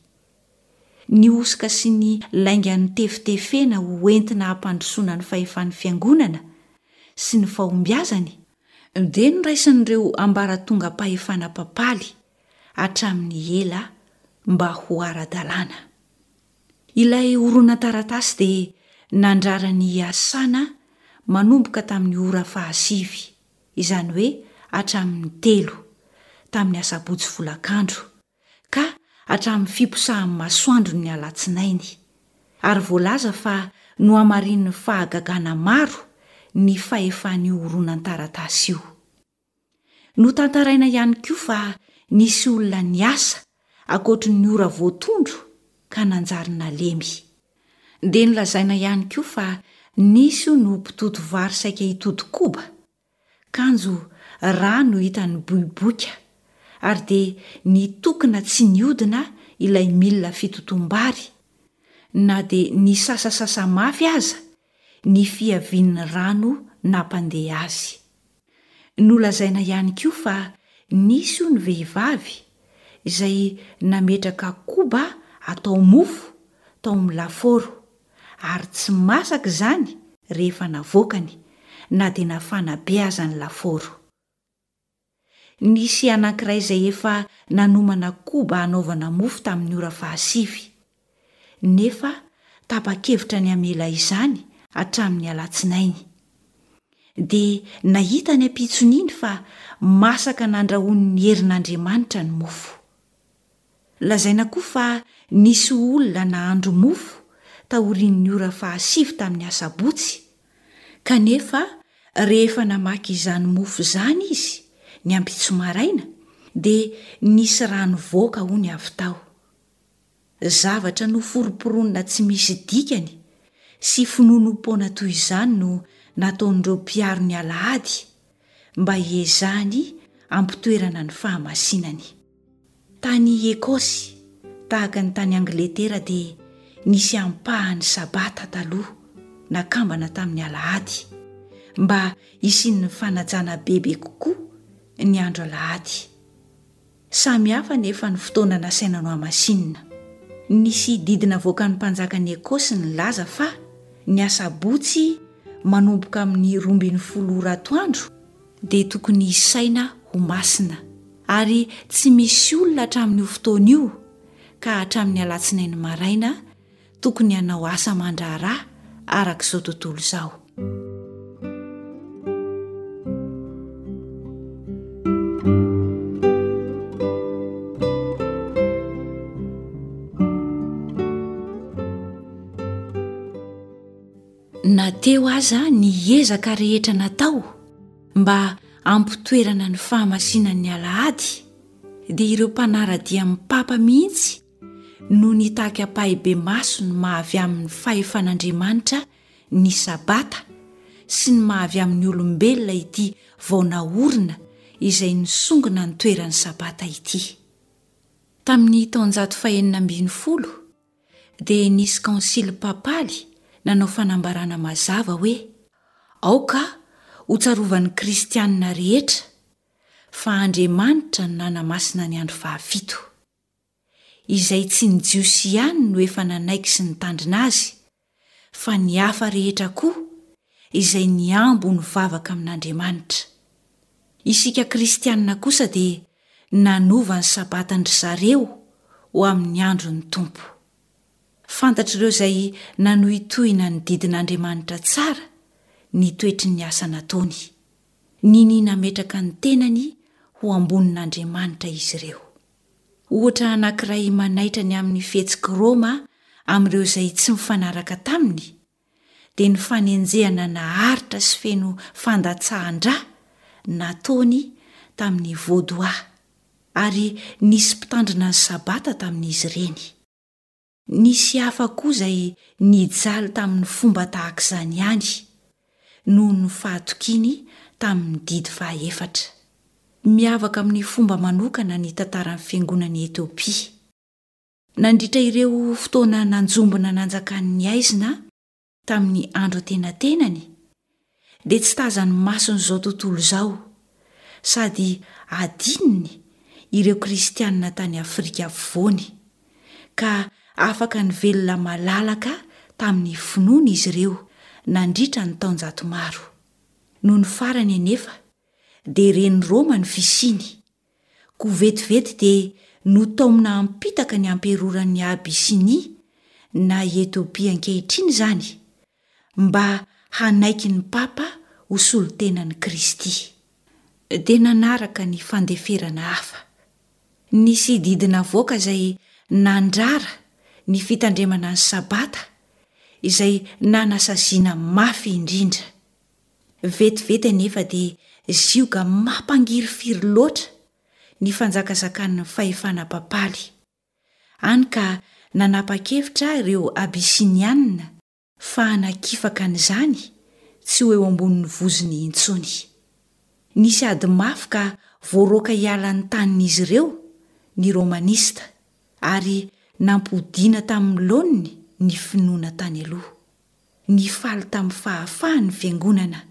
C: Ny hosoka sy ny lainga notefitefena ho entina hampandrosoana ny fahefan'ny Fiangonana sy ny fahombiazany dia noraisin'ireo ambaratongam-pahefana papaly hatramin'ny ela mba ho ara-dalàna. Ilay horonan-taratasy dia nandrara ny hiasana manomboka tamin'ny ora fahasivy, izany hoe hatramin'ny telo, tamin'ny asabotsy folakandro, ka hatramin'ny fiposahan'ny masoandron'ny alatsinainy, ary voalaza fa nohamarinin'ny fahagagana maro ny fahefan'io horonan-taratasy io. Notantaraina ihany koa fa nisy olona niasa ankoatry ny ora voatondro ka nanjary nalemy. Dia nolazaina ihany koa fa nisy hono mpitoto vary saika hitody koba, kanjo rà no hita niboiboika ary dia nitokona tsy nihodina ilay milina fitotoam-bary na dia nisasasasa mafy aza ny fiavian'ny rano nampandeha azy. Nolazaina ihany koa fa nisy hono vehivavy izay nametraka koba atao mofo tao amin'ny lafaoro ary tsy masaka izany rehefa navoakany na dia nafana be aza ny lafaoro. Nisy anankiray izay efa nanomana koba hanaovana mofo tamin'ny ora fahasivy, nefa tapa-kevitra ny hamela izany hatramin'ny alatsinainy. Dia nahita ny ampitson'iny fa masaka nandrahoin'ny herin'Andriamanitra ny mofo. Lazaina koa fa nisy olona nahandro mofo taorian'ny ora fahasivy tamin'ny asabotsy, kanefa rehefa namaky izany mofo izany izy ny ampitso maraina dia nisy rano voaka hono avy tao. Zavatra noforomporonina tsy misy dikany sy finoanoam-poana toy izany no nataon'ireo mpiaro ny alahady mba hiezahany hampitoerana ny fahamasinany. Tany Ekosy, tahaka ny tany Angletera dia nisy ampahany Sabata taloha nakambana tamin'ny alahady mba hisian'ny fanajana bebe kokoa ny andro alahady. Samy hafa anefa ny fotoana nasaina nohamasinina. Nisy didy navoakan'ny mpanjakan'i Ekosy nilaza fa ny asabotsy manomboka amin'ny 12 ora atoandro dia tokony hisaina ho masina, ary tsy misy olona hatramin'io fotoana io ka hatramin'ny alatsinainy maraina tokony hanao asa aman-draharaha araka izao tontolo izao. Na teo aza ny ezaka rehetra natao mba hampitoerana ny fahamasinan'ny alahady dia ireo mpanara-dia amin'ny papa mihitsy no nitaky ampahibemaso ny maha avy amin'ny fahefan'Andriamanitra ny Sabata sy ny maha avy amin'ny olombelona ity vao naorina izay nisongona ny toeran'ny Sabata ity. Tamin'ny taonjato fahenina ambinifolo dia nisy kaonsily papaly nanao fanambarana mazava hoe, Aoka hotsarovan'ny kristianina rehetra fa Andriamanitra no nanamasina ny andro fahafito. Izay tsy ny Jiosy ihany no efa nanaiky sy nitandrina azy, fa ny hafa rehetra koa izay nihambo ho nivavaka amin'Andriamanitra. Isika kristiana kosa dia nanova ny Sabatan-dry zareo ho amin'ny andron'ny Tompo. Fantatr'ireo izay nanohitohina ny didin'Andriamanitra tsara ny toetry ny asa nataony. Ninia nametraka ny tenany ho ambonin'Andriamanitra izy ireo. Ohatra anankiray manaitra ny amin'ny fihetsik'i Roma amin'ireo izay tsy mifanaraka taminy, dia ny fanenjehana naharitra sy feno fandatsahan-dra nataony tamin'ny Vaudois, ary nisy mpitandrina ny Sabata tamin'izy ireny. Nisy hafa koa izay nijaly tamin'ny fomba tahaka izany ihany, noho ny fahatokiany tamin'ny didy fahaefatra. Miavaka amin'ny fomba manokana ny tantaran'ny Fiangonan'i Etiopia. Nandritra ireo fotoana nanjombona nanjakan'ny haizina, tamin'ny andro antenatenany dia tsy tazan'ny mason'izao tontolo izao sady adinony ireo kristianina tany Afrika Afovoany ka Afaka nivelona malalaka tamin'ny finoany izy ireo nandritra ny taonjato maro. Nony farany anefa dia ren'i Roma ny fisiany, koa vetivety dia notaomina hampitaka ny amperoran'i Abyssinie, na i Etiopia ankehitriny izany, mba hanaiky ny papa ho solontenan'i Kristy. Dia nanaraka ny fandeferana hafa. Nisy didy navoaka izay nandrara ny fitandremana ny Sabata, izay nanasaziana mafy indrindra. Vetivety anefa dia zioga mampangirifiry loatra ny fanjakazakan'ny fahefana papaly, hany ka nanapa-kevitra ireo Abysiniana fa hanakifaka an'izany tsy ho eo ambonin'ny vozony intsony. Nisy ady mafy ka voaroaka hiala ny tanin'izy ireo ny Romanista, ary nampodiana tamin'ny laoniny ny finoana tany aloha. Nifaly tamin'ny fahafahany ny fiangonana,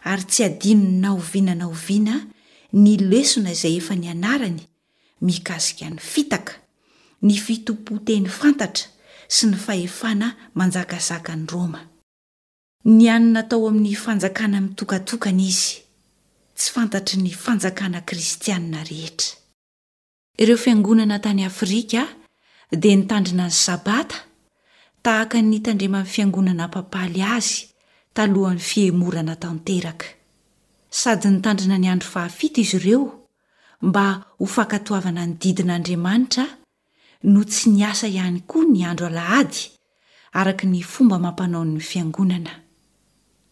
C: ary tsy hadinony na oviana na oviana ny lesona izay efa nianarany mikasika ny fitaka, ny fitompoan-teny fantatra sy ny fahefana manjakazakan'i Roma. Nianina tao amin'ny fanjakana mitokatokana izy, tsy fantatry ny fanjakana kristianina rehetra. Ireo fiangonana tany Afrika dia nitandrina ny Sabata tahaka ny nitandreman'ny fiangonana papaly azy talohan'ny fihemorana tanteraka. Sady nitandrina ny andro fahafito izy ireo mba ho fankatoavana ny didin'Andriamanitra no tsy niasa ihany koa ny andro alahady araka ny fomba amam-panaon'ny fiangonana.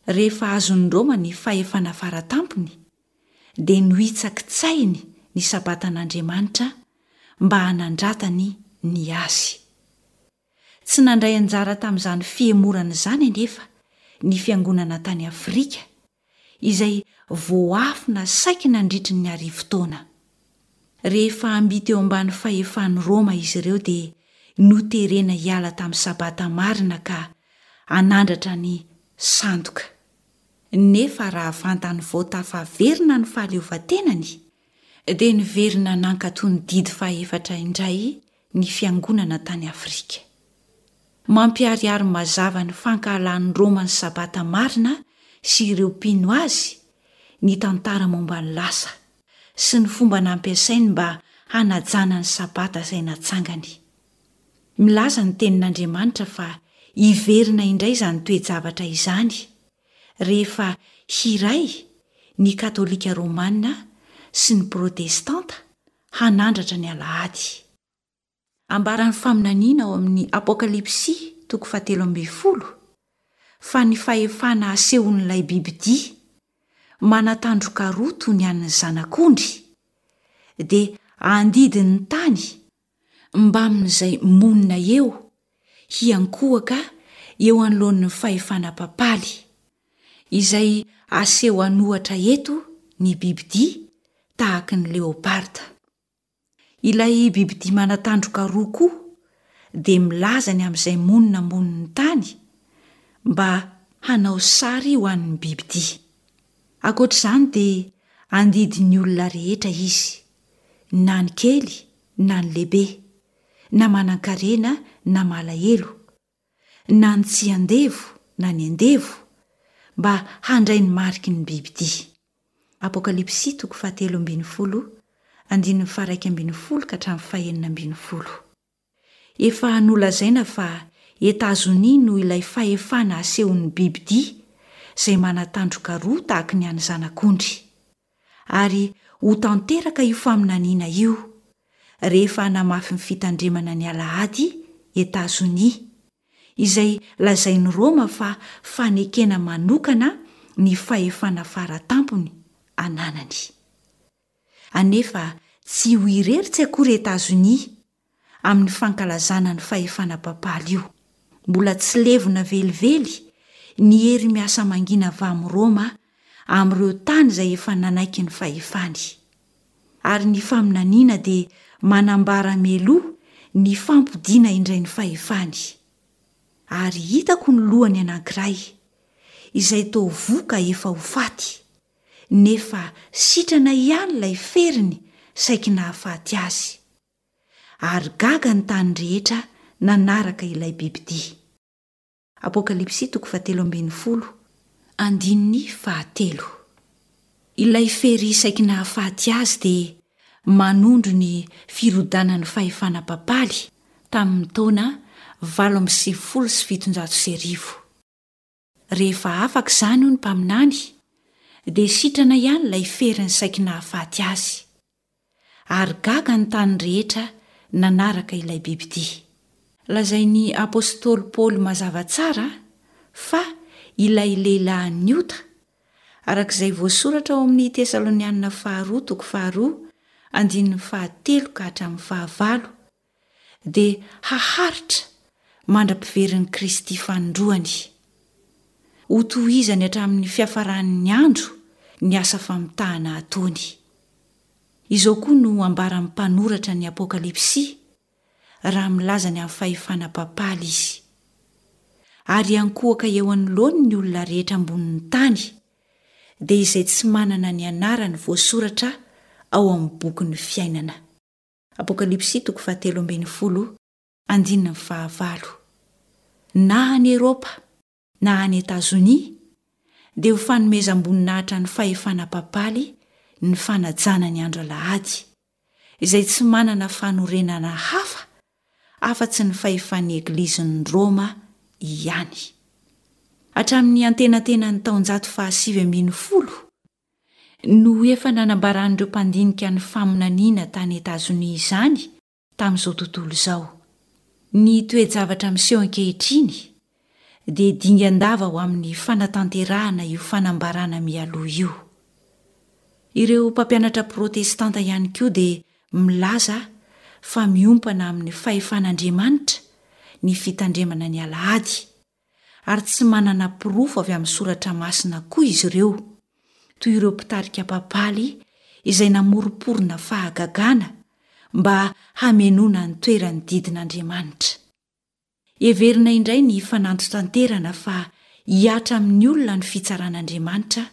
C: Rehefa azon'i Roma ny fahefana fara tampony dia nohitsakitsahiny ny Sabatan'Andriamanitra mba hanandratany ny azy. Tsy nandray anjara tamin'izany fihemorana izany anefa ny fiangonana tany Afrika, izay voaafina saiky nandritry ny arivotaona. Rehefa mby teo ambany fahefan'i Roma izy ireo dia noterena hiala tamin'ny Sabata marina ka hanandratra ny sandoka. Nefa raha vantany vao tafaverina ny fahaleovantenany, dia niverina nankatò ny didy fahefatra indray ny fiangonana tany Afrika. Mampiharihary mazava ny fankahalan'i Roma ny Sabata marina sy ireo mpino azy ny tantara momba ny lasa, sy ny fomba nampiasainy mba hanajana ny Sabata izay natsangany. Milaza ny Tenin'Andriamanitra fa hiverina indray izany toe-javatra izany rehefa hiray ny Katolika Romana sy ny Protestanta hanandratra ny Alahady. Ambaran'ny faminaniana ao amin'ny Apokalypsy toko fahatelo ambin'ny folo fa ny fahefana asehon'ilay bibidia manan-tandroka roa toy ny an'ny zanak'ondry dia handidy ny tany mbamin'izay monina eo hiankohoka eo anoloan'ny fahefana papaly, izay aseho an'ohatra eto ny bibidia tahaky ny leoparda. Ilay bibidia manan-tandroka roa koa dia milaza ny amin'izay monina ambonin'ny tany mba hanao sary ho an'ny bibidia. Ankoatra izany dia andidy ny olona rehetra izy, na ny kely na ny lehibe, na manan-karena na malahelo, na ny tsy andevo na ny andevo, mba handray ny mariky ny bibidia. Apokalypsy toko fahatelo ambin'ny folo, andininy faha-iraika ambin'ny folo ka hatramin'ny fahenina ambin'ny folo. Efa nolazaina fa Etazonia no ilay fahefana asehon'ny bibidia izay manan-tandroka roa tahaky ny an'ny zanak'ondry. Ary ho tanteraka io faminaniana io rehefa hanamafy ny fitandremana ny Alahady Etazonia, izay lazain'i Roma fa fanekena manokana ny fahefana fara tampony ananany. Anefa tsy ho irery tsy akory Etazonia amin'ny fankalazana ny fahefana papaly io. Mbola tsy levona velively ny hery miasa mangina avy amin'i Roma amin'ireo tany izay efa nanaiky ny fahefany. Ary ny faminaniana dia manambara mialoha ny fampodiana indray ny fahefany. Ary hitako ny lohany anankiray, izay toa voa ka efa ho faty, nefa sitrana ihany ilay feriny saiky nahafaty azy. Ary gaga ny tany rehetra nanaraka ilay bibidia. Apokalypsy toko fahatelo ambin'ny folo, andininy fahatelo. Ilay fery saiky nahafaty azy dia manondro ny firodanan'ny fahefana papaly tamin'ny taona 1798. Rehefa afaka izany, hoy ny mpaminany, dia sitrana ihany ilay feriny saiky nahafaty azy. Ary gaga ny tany rehetra nanaraka ilay bibidia. Lazain'ny apostoly Paoly mazava tsara fa ilay lehilahin'ny ota, araka izay voasoratra ao amin'ny Tesalonianina faharoa toko faharoa andininy fahatelo ka hatramin'ny fahavalo, dia haharitra mandra-piverin'i Kristy fanindroany. Hotohizany hatramin'ny fiafaran'ny andro ny asa famitahana ataony. Izao koa no ambaran'ny mpanoratra ny Apokalypsy raha milaza ny amin'ny fahefana papaly izy, Ary hiankohoka eo anoloany ny olona rehetra ambonin'ny tany, dia izay tsy manana ny anarany voasoratra ao amin'ny bokin'ny fiainana. Apokalypsy toko fahatelo ambin'ny folo, andininy fahavalo. Na any Eropa na any Etazonia, dia ho fanomezam-boninahitra ny fahefana papaly ny fanajana ny andro alahady, izay tsy manana fanorenana hafa afa-tsy ny fahefan'ny Eglizin'i Roma ihany. Hatramin'ny antenatenan'ny taonjato fahasivy ambin'ny folo, no efa nanambaran'ireo mpandinika ny faminaniana tany Etazonia izany tamin'izao tontolo izao. Ny toe-javatra miseho ankehitriny dia dingan-dava ho amin'ny fanatanterahana io fanambarana mialoha io. Ireo mpampianatra protestanta ihany koa dia milaza fa miompana amin'ny fahefan'Andriamanitra ny fitandremana ny alahady, ary tsy manana porofo avy amin'ny Soratra Masina koa izy ireo, toy ireo mpitarika papaly izay namoromporona fahagagana mba hamenoana ny toeran'ny didin'Andriamanitra. Heverina indray ny fanantitanterana fa hihatra amin'ny olona ny fitsaran'Andriamanitra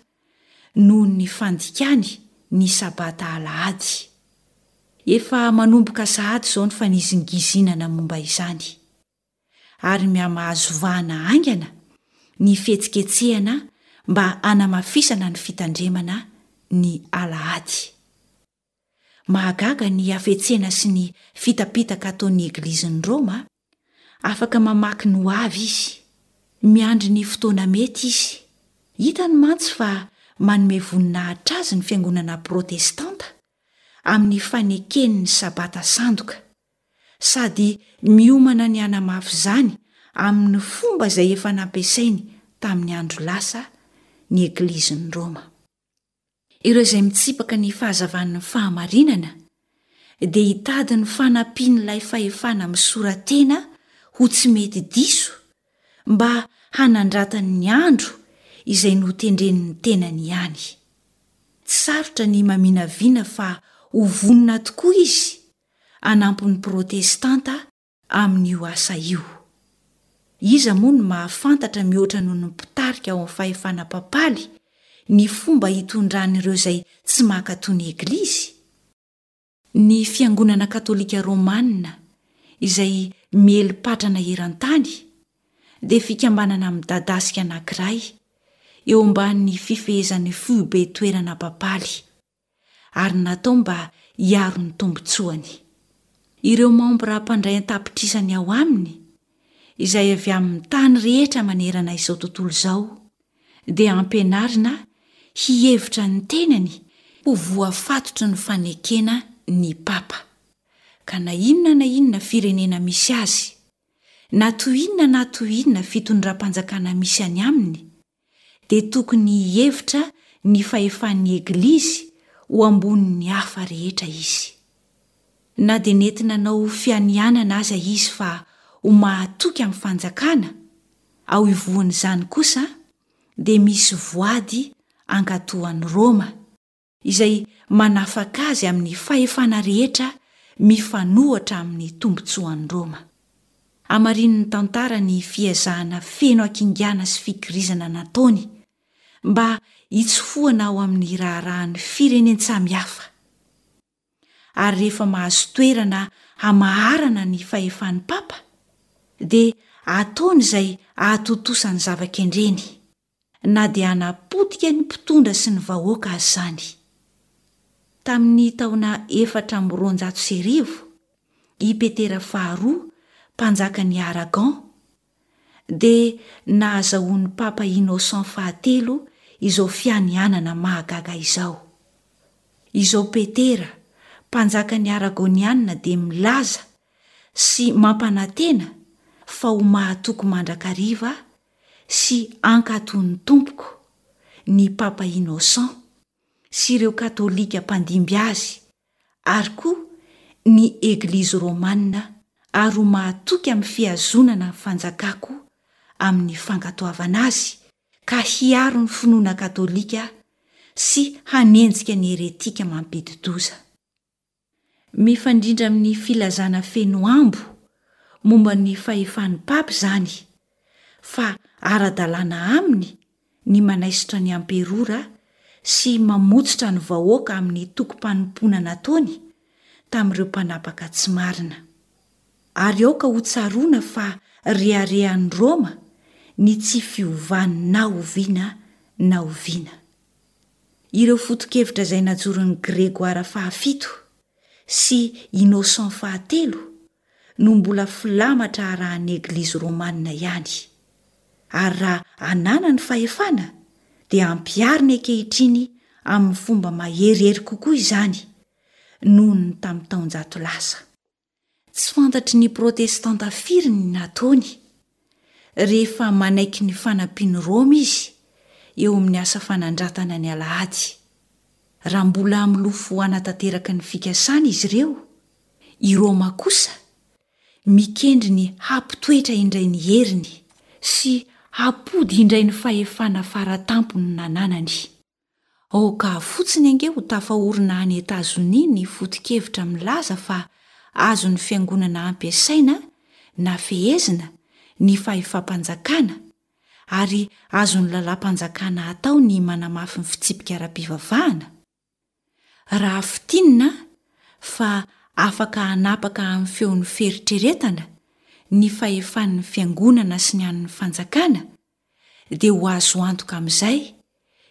C: noho ny fandikany ny Sabata alahady. Efa manomboka sahady izao ny fanizingizinana momba izany. ary mihamahazo vahana haingana ny fihetsiketsehana mba hanamafisana ny fitandremana ny alahady. Mahagaga ny hafetsena sy ny fitapitaka ataon'ny Eglizin'i Roma, afaka mamaky ny hoavy izy, miandry ny fotoana mety izy. Hitany mantsy fa manome voninahitra azy ny fiangonana protestanta amin'ny fanekeny ny Sabata sandoka. sady miomana ny hanamafy izany amin'ny fomba izay efa nampiasainy tamin'ny andro lasa ny Eglizin'i Roma. Ireo izay mitsipaka ny fahazavan'ny fahamarinana dia hitady ny fanampian'ilay fahefana misora-tena ho tsy mety diso mba hanandratany ny andro izay notendren'ny tenany ihany. Tsy sarotra ny maminavina fa ho vonona tokoa izy hanampy ny Protestanta amin'io asa io. Iza moa no mahafantatra mihoatra noho ny mpitarika ao amin'ny fahefana papaly ny fomba hitondran'ireo izay tsy mankatò ny Eglizy? Ny Fiangonana Katolika Romana izay miely patrana eran-tany dia fikambanana midadasika anankiray eo ambanin'ny fifehezan'ny foibe toerana papaly. ary natao mba hiaro ny tombontsoany. Ireo mambra mpandray an-tapitrisany ao aminy, izay avy amin'ny tany rehetra manerana izao tontolo izao, dia ampianarina hihevitra ny tenany ho voafatotry ny fanekena ny papa, ka na inona na inona firenena misy azy, na toy inona na toy inona fitondram-panjakana misy any aminy, dia tokony hihevitra ny fahefan'ny Eglizy ho ambonin'ny hafa rehetra izy. Na dia nety nanao fianianana aza izy fa ho mahatoky amin'ny fanjakana, ao ivohon'izany kosa dia misy voady hankatò an'i Roma, izay manafaka azy amin'ny fahefana rehetra mifanohitra amin'ny tombontsoan'i Roma. Hamarinin'ny tantara ny fiezahana feno hakingana sy fikirizana nataony mba hitsofohana ao amin'ny raharahan'ny firenen-tsamihafa. Ary rehefa mahazo toerana hamaharana ny fahefan'ny papa, dia ataony izay hahatontosa ny zava-kendreny, na dia hanapotika ny mpitondra sy ny vahoaka aza izany. Tamin'ny taona 1204, i Petera faharoa, mpanjakan'i Aragon, dia nahazahoan'ny Papa Innocent fahatelo izao fianianana mahagaga izao. Izao Petera, mpanjakan'ny Aragonianina dia milaza sy mampanantena fa ho mahatoky mandrakariva sy hankatò ny Tompoko, ny Papa Innocent, sy ireo Katolika mpandimby azy, ary koa ny Eglizy Romana ary ho mahatoky amin'ny fihazonana ny fanjakako amin'ny fankatoavana azy ka hiaro ny finoana katolika sy hanenjika ny heretika mampidi-doza. Mifandrindra amin'ny filazana feno ambo momba ny fahefan'ny Papa izany, fa ara-dalàna aminy ny manaisotra ny amperora sy mamotsitra ny vahoaka amin'ny tokim-panompoana nataony tamin'ireo mpanapaka tsy marina. Ary aoka hotsaroana fa reharehan'i Roma ny tsy fiovany na oviana na oviana. Ireo foto-kevitra izay najoron'i Grégoire fahafito sy Innocent fahatelo no mbola filamatra arahan'ny Eglizy Romana ihany. Ary raha ananany fahefana dia ampihariny ankehitriny amin'ny fomba maherihery kokoa izany noho ny tamin'ny taonjato lasa. Tsy fantatry ny Protestanta firy ny nataony, rehefa manaiky ny fanampian'i Roma izy eo amin'ny asa fanandratana ny alahady. Raha mbola milofo hanatanteraka ny fikasany izy ireo, i Roma kosa mikendry ny hampitoetra indray ny heriny sy hampody indray ny fahefana fara tampony nananany. Aoka fotsiny ange ho tafaorina any Etazonia ny foto-kevitra milaza fa azon'ny fiangonana ampiasaina na fehezina ny fahefam-panjakana ary azon'ny lalàm-panjakana atao ny manamafy ny fitsipika ara-pivavahana. Raha fintinina fa afaka hanapaka amin'ny feon'ny fieritreretana ny fahefan'ny fiangonana sy ny an'ny fanjakana, dia ho azo antoka amin'izay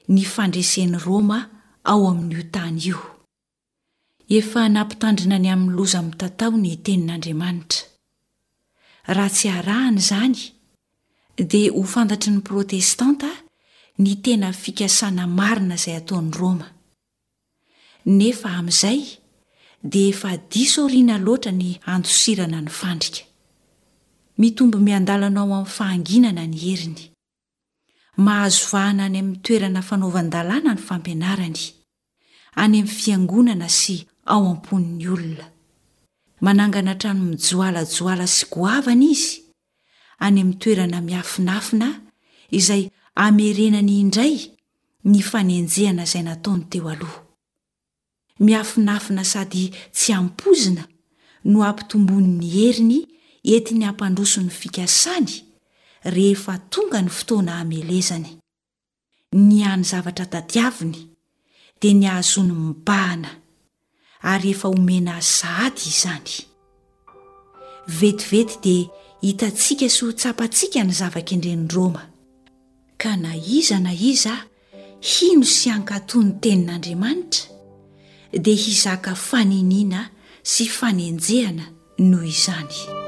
C: ny fandresen'i Roma ao amin'io tany io. Efa nampitandrina ny amin'ny loza mitatao ny Tenin'Andriamanitra. Raha tsy arahana izany, dia ho fantatry ny Protestanta ny tena fikasana marina izay ataon'i Roma. Nefa amin'izay dia efa diso aoriana loatra ny handosirana ny fandrika. Mitombo miandalana ao amin'ny fahanginana ny heriny. Mahazo vahana any amin'ny toerana fanaovan-dalàna ny fampianarany, any amin'ny fiangonana sy ao am-pon'ny olona. Manangana trano mijoalajoala sy goavana izy, any amin'ny toerana miafinafina izay amerenany indray ny fanenjehana izay nataony teo aloha. Miafinafina sady tsy ampoizina no ampitomboany ny heriny entiny hampandroso ny fikasany rehefa tonga ny fotoana hamelezany. Ny hany zavatra tadiaviny dia ny hahazoany mibahana, ary efa omena azy sahady izany. Vetivety dia hitantsika sy ho tsapantsika ny zava-kendren'i Roma. Ka na iza na iza hino sy hankatò ny Tenin'Andriamanitra dia hizaka faniniana sy fanenjehana noho izany.